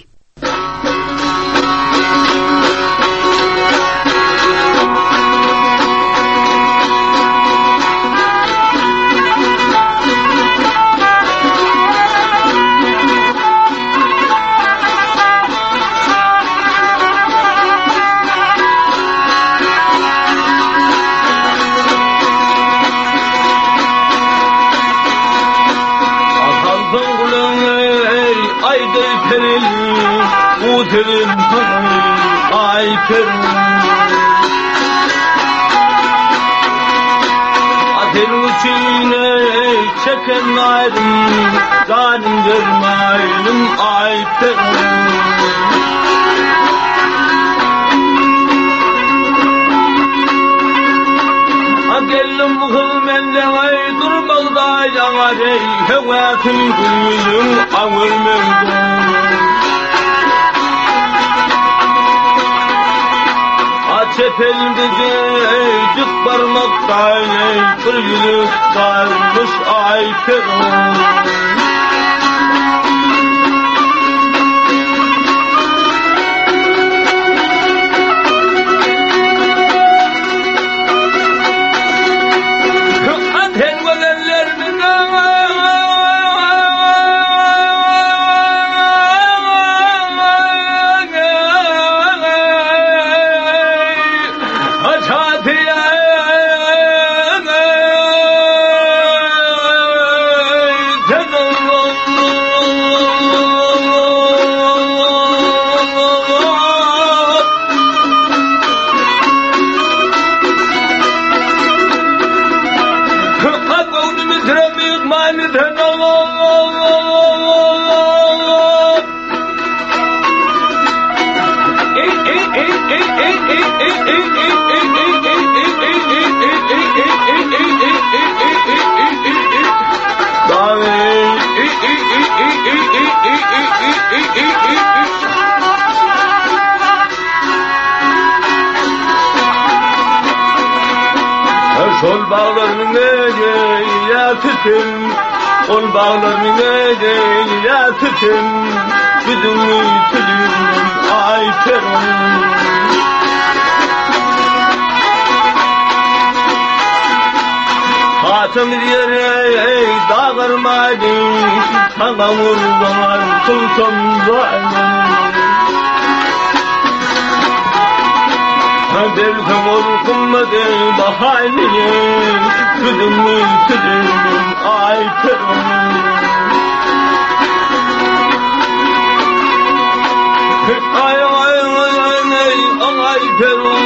Çeken aýrym, janym bermäýlim aýperim. A geldim bu gyz menden aý durmazda ýaňar eý, höwäsin gül ýüzüň aňyr menden. A çep elde jüýjük barmakda eý, bir ýüzük barmyş aýperim. Şol baglarynyň ýa tütün, ol baglarynyň ýa tütün, biziň tütün aý perum. Hatam ýere dagyrmady, saňa gurban kylsam zalim. Berse ol gymmaty bahaýly, Tüdümi tüdüm aý perum. Ay ay ay ay ay ay perum.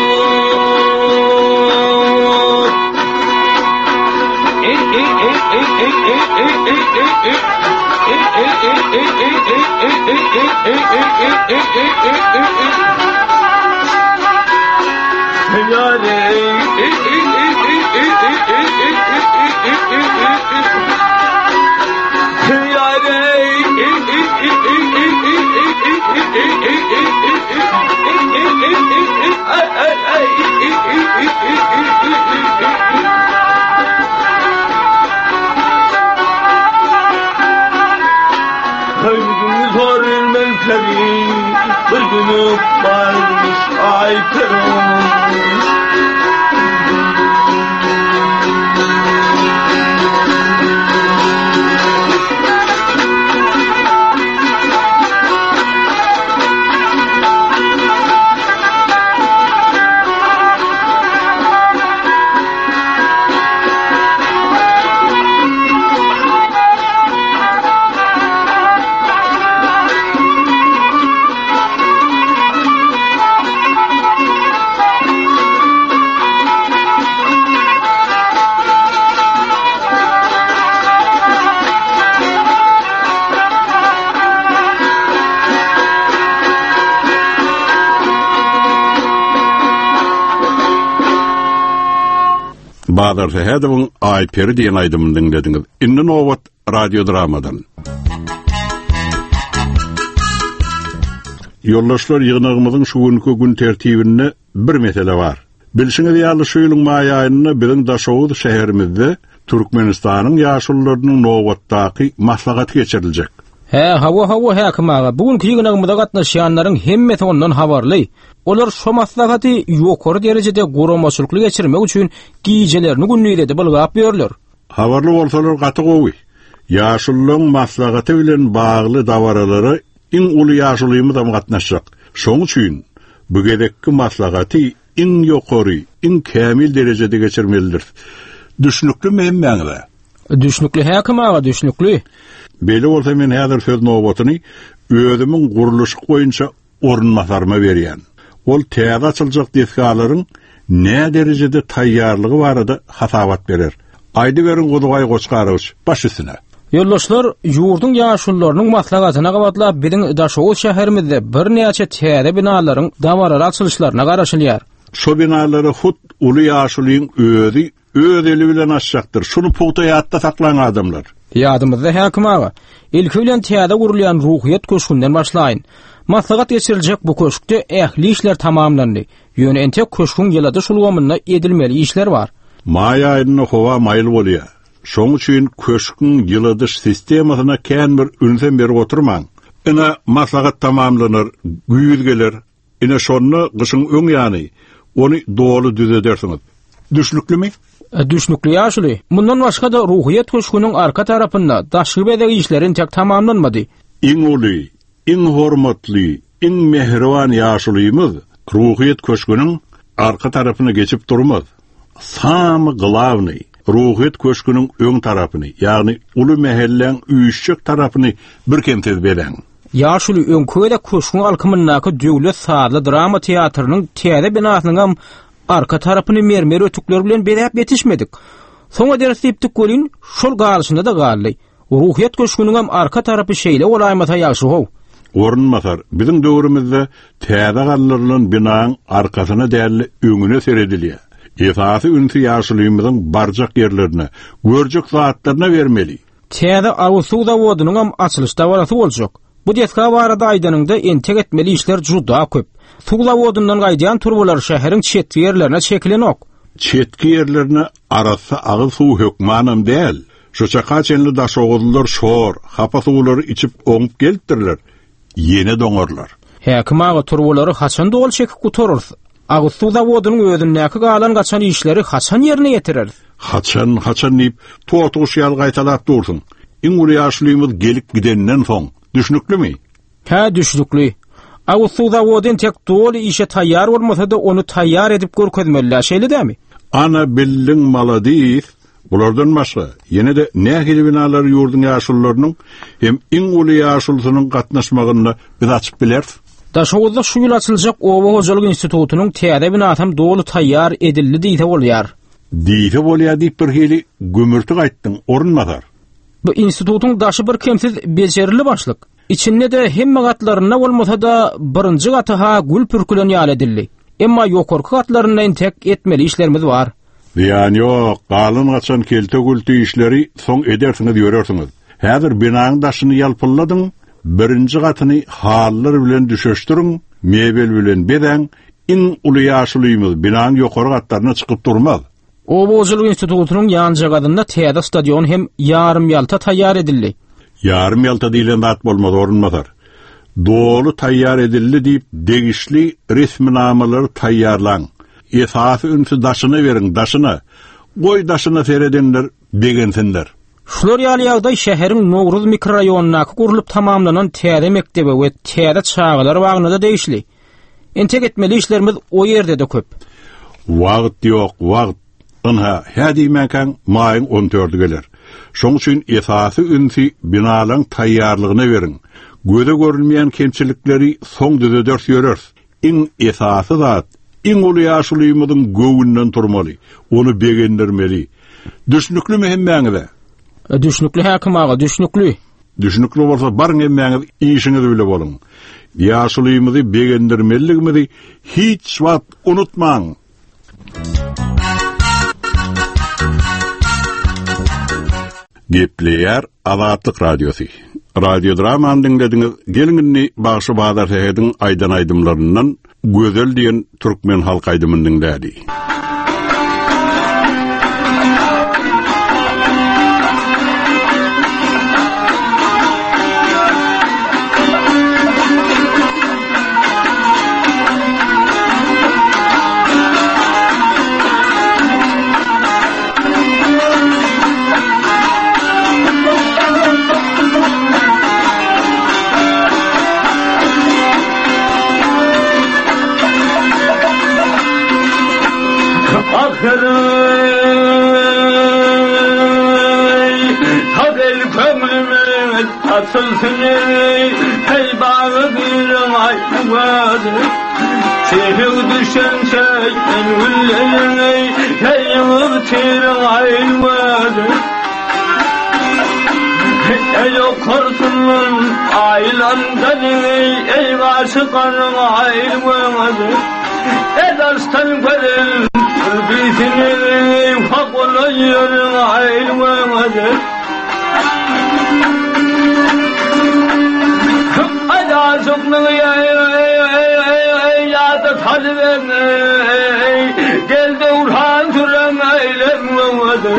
Ey ey ey ey ey ey ey ey ey ey. Ey ey ey ey ey ey ey ey ey ey ey ey ey ey ey ey Bir günü varmış ay Bazar Sähedowyň Aýperi diýen aýdymyny diňlediňiz. Indi nobat radiodramadan. Ýoldaşlar ýygnagymyzyň şu günki gün tertibinde bir mesele bar. Bilşiňiz ýaly, şu ýylyň maý aýynda biziň Daşoguz şäherimizde Türkmenistanyň ýaşulularynyň nobatdaky maslahaty geçiriljek. Hä, hawa, hawa, häkim aga, bu günki ýygnagymyza gatnaşýanlaryň hemmesi ondan habarly. Olar şo maslahaty ýokary derejede guramaçylykly geçirmek üçin gijelerini gündiz edip ylgap ýörler. Habarly bolsalar gaty gowy. Ýaşulularyň maslahaty bilen bagly dabaralara iň uly ýaşulymyzam gatnaşjak. Şoň üçin bu gezekki maslahaty iň ýokary, iň kämil derejede geçirmelidiris. Düşnüklimi hemmäňize? Düşnükli häkim aga, düşnükli. Beýle bolsa men häzir söz nobatyny özümiň gurluşyk boýunça orunbasaryma berýän. Ol täze açyljak desgalaryň näderejede taýýarlygy barada hasabat berer. Aýdyberiň Guzubaý Goçgarowiç, baş üstüne. Ýoldaşlar, ýurduň ýaşulularynyň maslahatyna gabatlap biziň Daşoguz şäherimizde birnäçe täze binalaryň dabaraly açylyşlaryna garaşylýar. Şo binalary hut uly ýaşulyň özi Öz eli bilen açjakdyr. Şuny pugta ýatda saklaň adamlar. Ýadymyzda häkim aga. Ilki bilen täze gurulýan Ruhyýet köşgünden başlaýyn. Maslahat geçiriljek bu köşkde ähli işler tamamlandy. Ýöne entek köşgüň ýyladyş ulgamynda edilmeli işler bar. Maý aýynda howa maýyl bolýar. Şoň üçin köşgüň ýyladyş sistemasyna kän bir ünsem berip oturmaň. Ine, maslahat tamamlanar, güýz geler. Ine şonda gyşyň öň ýany ony doly düzedersiňiz. Düşnüklimi? Düşnükli ýaşuly. Mundan başga-da Ruhyýet köşgüniň arka tarapynda daşky bezeg işleri entek tamamlanmady. Iň uly, iň hormatly, iň mähriban ýaşulymyz Ruhyýet köşgüniň arka tarapyna geçip durmaz. Samy glawnyý, Ruhyýet köşgüniň öň tarapyny, ýagny uly mähelläň üýşjek tarapyny birkemsiz bezäň. Ýaşuly öňki gezek köşgüň alkymyndaky Döwlet sazly drama teatrynyň täze binasynyňam arka tarapyny mermer ötükler bilen bezäp ýetişmedik. Soň ederis diýipdik welin, şol galyşynda-da galdy. Ruhyýet köşgüniňem arka tarapy şeýle bolaýmasa ýagşy-how. Orunbasar, biziň döwrümizde täze galdyrylan binaň arkasyna däl-de öňüne seredilýär. Esasy ünsi ýaşulymyzyň barjak ýerlerine, görjek zatlaryna bermeli. Täze agyz suw zawodynyňam açylyş dabarasy boljak. Bu desga barada aýdanyňda entek etmeli işler juda köp. Suw zawodyndan gaýdýan turbalar şäheriň çetki ýerlerine çekilenok. Çetki ýerlerine arassa agyz suwy hökmanam däl. Şu çaka çenli daşoguzlylar şor, hapa suwlary içip oňup gelipdirler. Ýene doňarlar. Häkim aga turbalary haçan doly çekip gutararys? Agyz suw zawodynyň özündäki galan-gaçan işleri haçan ýerine ýetireris? Haçan, haçan diýip, totyguş ýaly gaýtalap dursuň. Iň uly ýaşulymyz gelip gidenden soň. Düşnüklimi? Hä, düşnükli. Agyz suw zawody entek doly işe taýýar bolmasa-da, ony taýýar edip görkezmeli-dä, şeýle dämi? Ana, bildiň, maladis! Bulardan başga, ýene-de nähili binalary ýurduň ýaşulularynyň hem iň uly ýaşulusynyň gatnaşmagynda biz açyp bileris? Daşoguzda şu ýyl açyljak Oba hojalyk institutynyň täze binasam doly taýýar edildi diýse bolýar. Diýse bolýar diýip birhili gümürtik aýtdyň, orunbasar. Bu institutyň daşy birkemsiz bejerildi başlyk. Içinde-de hemme gatlarynda bolmasa-da birinji gaty-ha gül pürkülen ýaly edildi. Emma ýokarky gatlarynda entek etmeli işlerimiz bar. Zyýany ýok, galan-gaçan kelte-gülte işleri soň edersiňiz ýörersiňiz. Häzir binaň daşyny ýalpylladyň, birinji gatyny halylar bilen düşeşdiriň, mebel bilen bezäň, iň uly ýaşulymyz binaň ýokary gatlaryna çykyp durmaz. Oba hojalyk institutynyň ýanjagazynda täze stadion hem ýarym-ýalta taýýar edildi. Ýarym-ýalta diýlen zat bolmaz, orunbasar. Doly taýýar edildi diýip, degişli resminamalary taýýarlaň. Esasy ünsi daşyna beriň, daşyna! Goý daşyna seredenler begensinler. Şular ýaly ýagdaý şäheriň Nowruz mikroraýonyndaky gurlup tamamlanan täze mekdebe we täze çagalar bagyna-da degişli. Entek etmeli işlerimiz o ýerde-de köp. Wagt ýok, wagt! Ynha, hä diýmänkäň maýyň on dördi geler. Şoň üçin esasy ünsi binalaň taýýarlygyna beriň. Göze görünmeýän kemçilikleri soň düzederis ýöreris. Iň esasy zat, iň uly ýaşulymyzyň göwnünden turmaly, ony begendirmeli. Düşnüklimi hemmäňize? Düşnükli häkim aga, düşnükli. Düşnükli bolsa baryň hemmäňiz işiňiz bile boluň. Ýaşulymyzy begendirmelidigimizi hiç wagt unutmaň! Gepleýär Azatlyk Radiosy. Radiodramany diňlediňiz. Geliň indi bagşy Bazar Sähediň aýdan aýdymlaryndan. Gözel diýen türkmen halk aýdymyny diňläli. Açylsyn ey bagy bir ay Çehir düşen çeken güllerin Hey yığıp tirin ayrılmadı Ey okursunun aylandan Ey aşıkanın ayrılmadı Edersen görün Bilsini hak olayın ayrılmadı Ýa-da salybeň, Gel döwran süren eýlenmedi.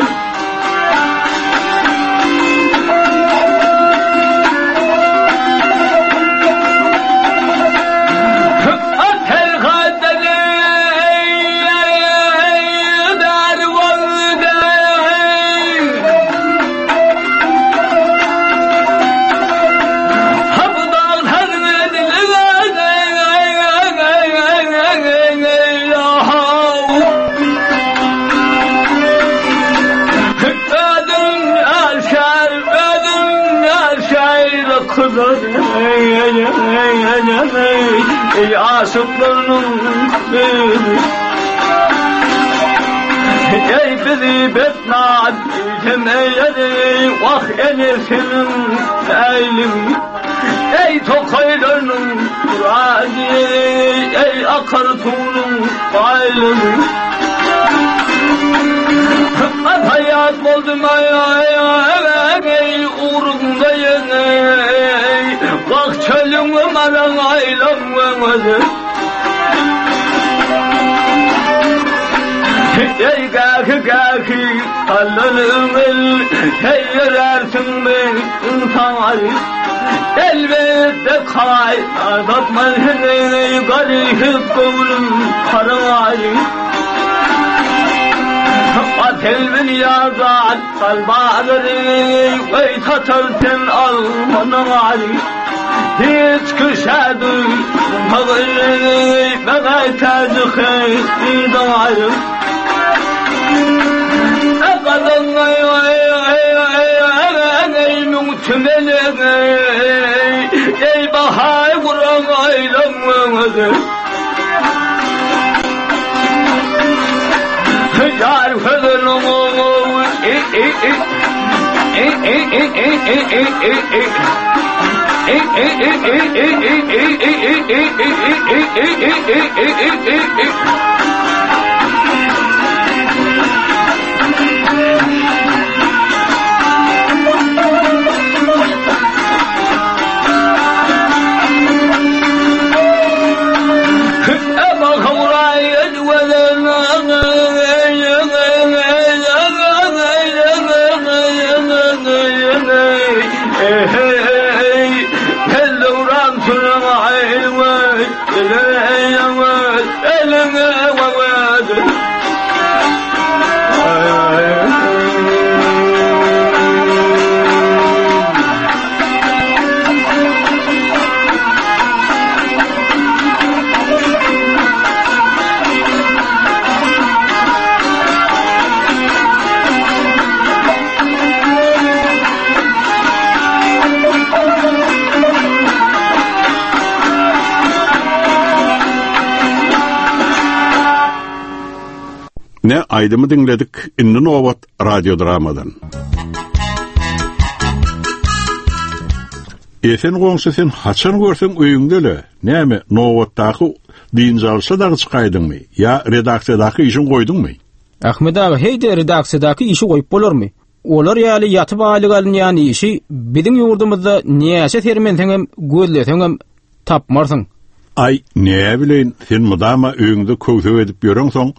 Ey aşyklarynyň Ey bizi betnat Eýledi, wah enesiniň äýlim, Eý tokaýlarynyň murady, Eý akar suwunyň baýlygy. Hykmat haýat boldum aý, ugruňda ýeňeý, Wah çölüňe maran aýlanmaňyz. Eý gähi gähi allan ömür, Heý ýörärsiň men ynsan Elbetde kaý azatman heňeý Garyp göwnüm karaý Atelbin ýazat galbazary Weý satar sen almanyň Hiç kişä duýmagy Maňa täji hydaý Ey bahay guran aýlanmaňyzy Yar Ne aýdymy diňledik, indi nobat radiodramadan. Esen goňşy sen haçan görseň öýüňde-le, näme, nobatdaky dynç alşa dagy çykaýdyňmy ýa redaksiýadaky işiňi goýduňmy? Ahmet aga, heý-de redaksiýadaky işi goýup bolarmy? Olar ýaly ýatyp aýlyk alynýan işi biziň ýurdumyzda näçe sermenseňem, gözleseňem tapmarsyň. Aý, näbileýin, sen mydama öýüňde köwsek edip ýöreňsoň,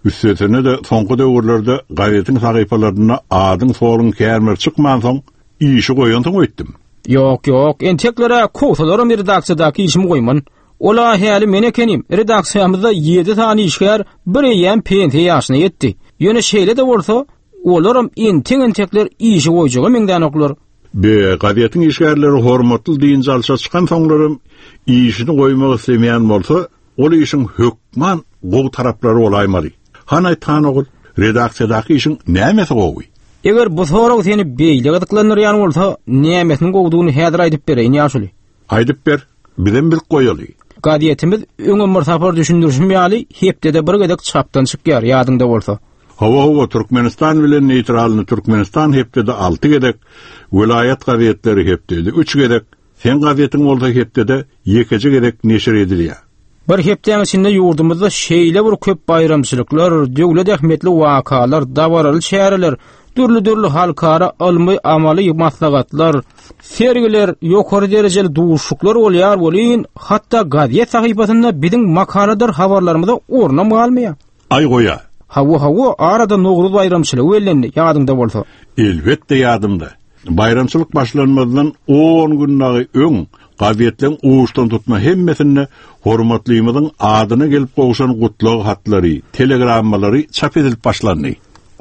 üstesine-de soňky döwürlerde gazetiň sahypalarynda adyň-soluň känbir çykmansoň, işi goýansyň öýtdüm. Ýok, ýok, entekler-ä kowsalaram redaksiýadaky işimi goýman. Ol-a häli men ekenim, redaksiýamyzda ýedi sany işgär bir eýýäm pensiýa ýaşyna ýetdi. Ýöne şeýle-de bolsa, olaram entek-entekler işi goýjaga meňzänoklar. Be, gazetiň işgärleri hormatly dynç alşa çykansoňlaram işini goýmak islemeýän bolsa, ol işiň hökman gowy taraplary bolaýmaly. Hany aýt, han ogul, redaksiýadaky işiň nämesi gowy? Eger bu sorag seni beýle gyzyklandyrýan bolsa, nämesiniň gowudygyny häzir aýdyp bereýin, ýaşuly. Aýdyp ber, bizem bilip goýaly. Gazetimiz öňem bir sapar düşündirişim ýaly hepdede bir gezek çapdan çykýar, ýadyňda bolsa. Hawa, hawa, Türkmenistan bilen neýtralny Türkmenistan hepdede alty gezek, welaýat gazetleri hepdede üç gezek, seň gazetiň bolsa hepdede ýekeje gezek neşir edilýär. Bir hepdäň içinde ýurdumyzda şeýle bir köp baýramçylyklar, döwlet ähmiýetli wakalar, dabaraly çäreler, dürli-dürli halkara ylmy-amaly maslahatlar, sergiler, ýokary derejeli duşuşyklar bolýar welin, hatda gazet sahypasynda biziň makaladyr habarlarymyza ornam galmaýar. Aý goýa. Hawa, hawa, arada Nowruz baýramçylygy bellendi, ýadyňda bolsa. Elbetde ýadymda. Baýramçylyk başlanmazdan on gün dagy öň gazetleň uçdan tutma hemmesinde hormatlymyzyň adyna gelip gowşan gutlag hatlary, telegrammalary çap edilip başlandy.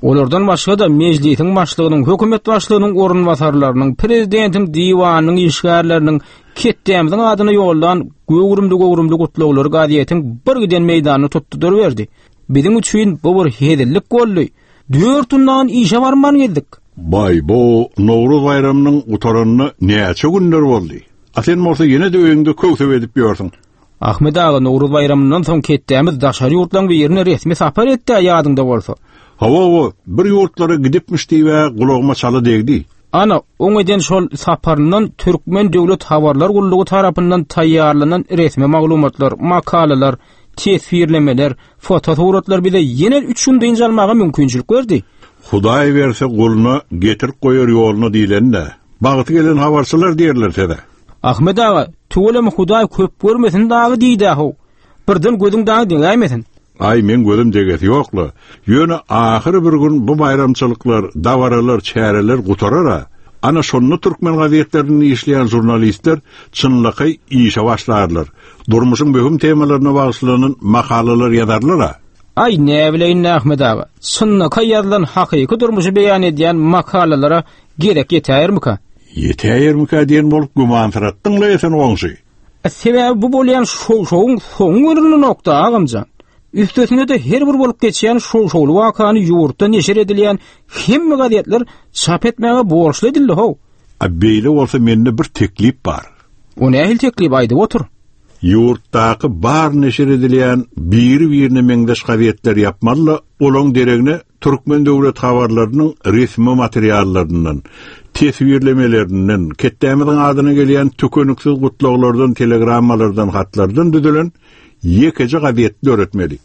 Olardan başga-da Mejlisiň Başlygynyň, Hökümet Başlygynyň orunbasarlarynyň, Prezidentiň Diwanynyň işgärleriniň ketdämiziň adyna ýollan göwrümli-göwrümli gutlaglary gazetiň bir giden meýdanyny tutdy duruberdi. Biziň üçin bu bir hezillik boldy. Dört gündan işe barman gezdik. Baý-bo, Nowruz baýramynyň gutaranyna näçe günler boldy. A sen bolsa ýene-de öýüňde köwsep edip ýörsüň. Ahmet aga Nowruz baýramyndan soň ketdämiz daşary ýurtlaň birine resmi sapar etdi-ä ýadyňda bolsa. Hawa-hawa, bir ýurtlara gidipmiş diýib-ä gulagyma çala degdi. Ana, oň eden şol saparyndan Türkmen döwlet habarlar gullugy tarapyndan taýýarlanan resmi maglumatlar, makalalar, teswirlemeler, fotosuratlar bize ýene üç gün dynç almaga mümkinçilik berdi. Hudaý berse guluna, getirip goýar ýoluna diýleni-dä. Bagty gelen habarçylar diýerler size. Ahmet aga, tüweleme Hudaý köp görmesin dagy diýdä-how. Birden gözüň dagy degäýmesin. Aý, meň gözüm degesi ýok-la. Ýöne ahyry bir gün bu baýramçylyklar, dabaralar, çäreler gutarar-a. Ana, şonda türkmen gazetlerinde işleýän žurnalistler çynlakaý işe başlarlar. Durmuşyň möhüm temalaryna bagyşlanan makalalar ýazarlar-a. Aý, näbileýin-dä, Ahmet aga. Çynlakaý ýazylan hakyky durmuşy beýan edýän makalalara Gezek ýetäýermika? Ýetäýermikä diýen bolup gümansyratdyň-la Esen goňşy. Sebäbi bu bolýan şow-şowyň soňy görünenok-da, agamjan. Üstesine-de her bir bolup geçýän şow-şowly wakany ýurtda neşir edilýän hemme gazetler çap etmäge borçly edildi-how. A beýle bolsa mende bir teklip bar. O nähili teklip, aýdyp otur. Ýurtdaky bar neşir edilýän biri-birine meňzeş gazetleri ýapmaly-da, olaň deregine türkmen döwlet habarlarynyň resmi materiallaryndan, teswirlemelerinden, ketdämiziň adyna gelýän tükeniksiz gutlaglardan, telegrammalardan, hatlardan düzülen ýekeje gazet döretmeli.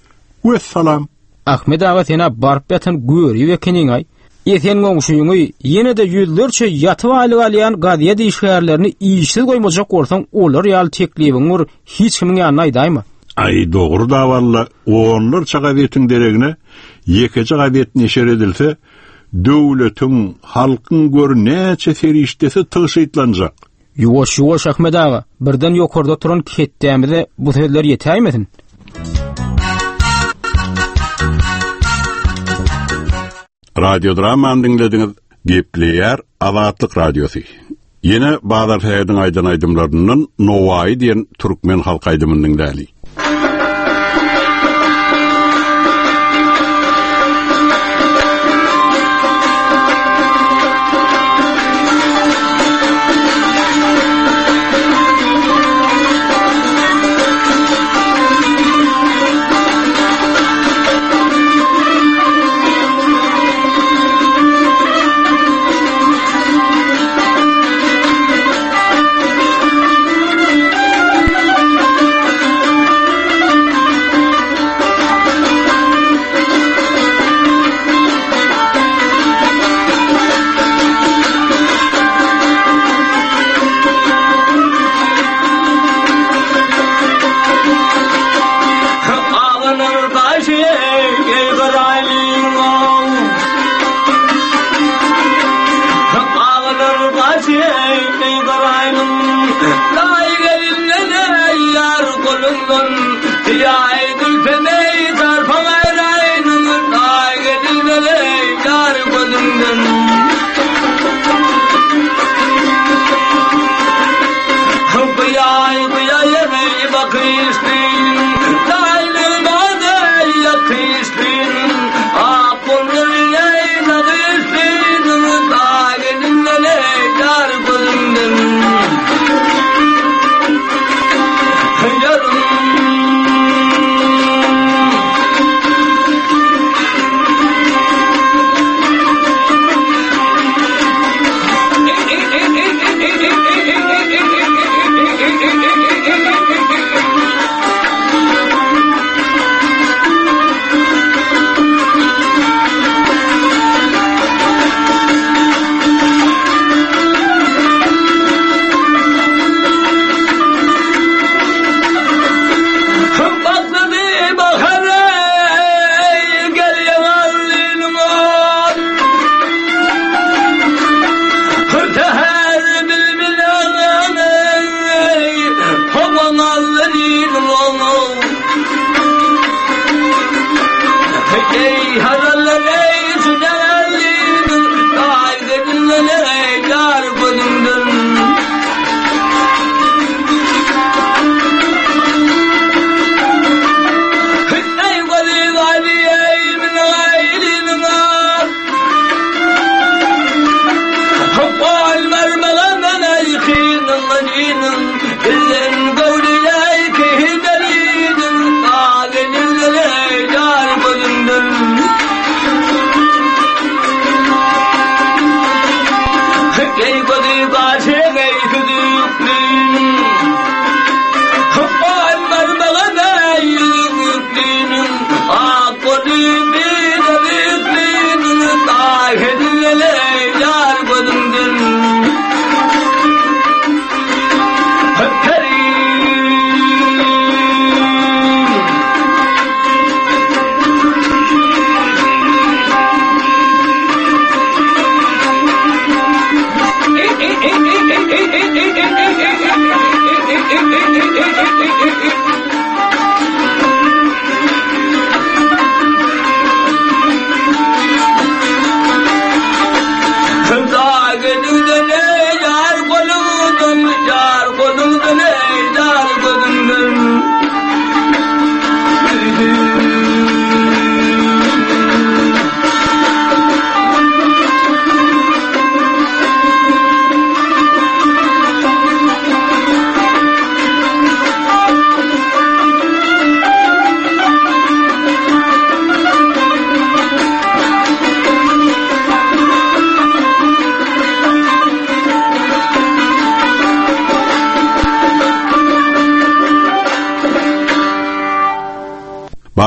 Wessalam! Ahmet aga sen-ä baryp ýatan görip ekeniň-aý. Esen goňşyňy, ýene-de ýüzlerçe ýatyp aýlyk alýan gazet işgärlerini işsiz goýmajak bolsaň olar ýaly teklibiňi bir hiç kimiň ýanynda aýdaýma. Aý dogry-da walla, onlarça gazetiň deregine ýekeje gazet neşir edilse, döwletiň, halkyň gör näçe serişdesi tygşytlanjak. Ýuwaş, ýuwaş Ahmet aga, birden ýokarda oturan ketdämize bu sözler ýetäýmesin. Radiodramany diňlediňiz. Gepleýär Azatlyk Radiosy. Ýene Bazar Sähediň aýdan aýdymlaryndan Nowaýy diýen türkmen halk aýdymyny diňläli.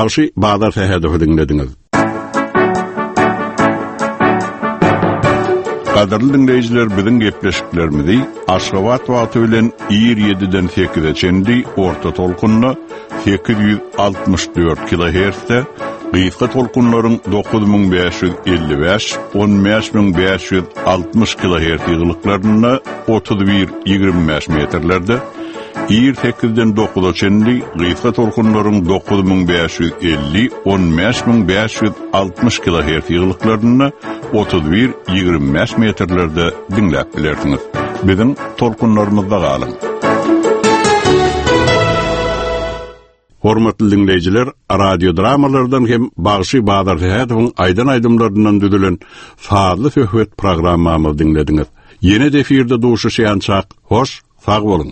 Bagşy Bazar Sähedowy diňlediňiz. Gadyrly diňleýjiler biziň gepleşiklerimizi Aşgabat wagty bilen ir 7-den 8-e çenli orta tolkunda 864 kilohertzde gysga tolkunlaryň 9555, 15560 kilohertz ýygylyklarynda 31 25 metrlerde Ir sekizden dokuza çenli gysga tolkunlaryň 9550, 15560 kilohertz ýygylyklarynda 31, 25 metrlerde diňläp bilersiňiz. Biziň tolkunlarymyzda galyň! Hormatly diňleýjiler, radiodramalardan hem bagşy Bazar Sähedowyň aýdan aýdymlaryndan düzülen sazly söhbet programmamyzy diňlediňiz. Ýene-de efirde duşuşýançak, hoş, sag boluň!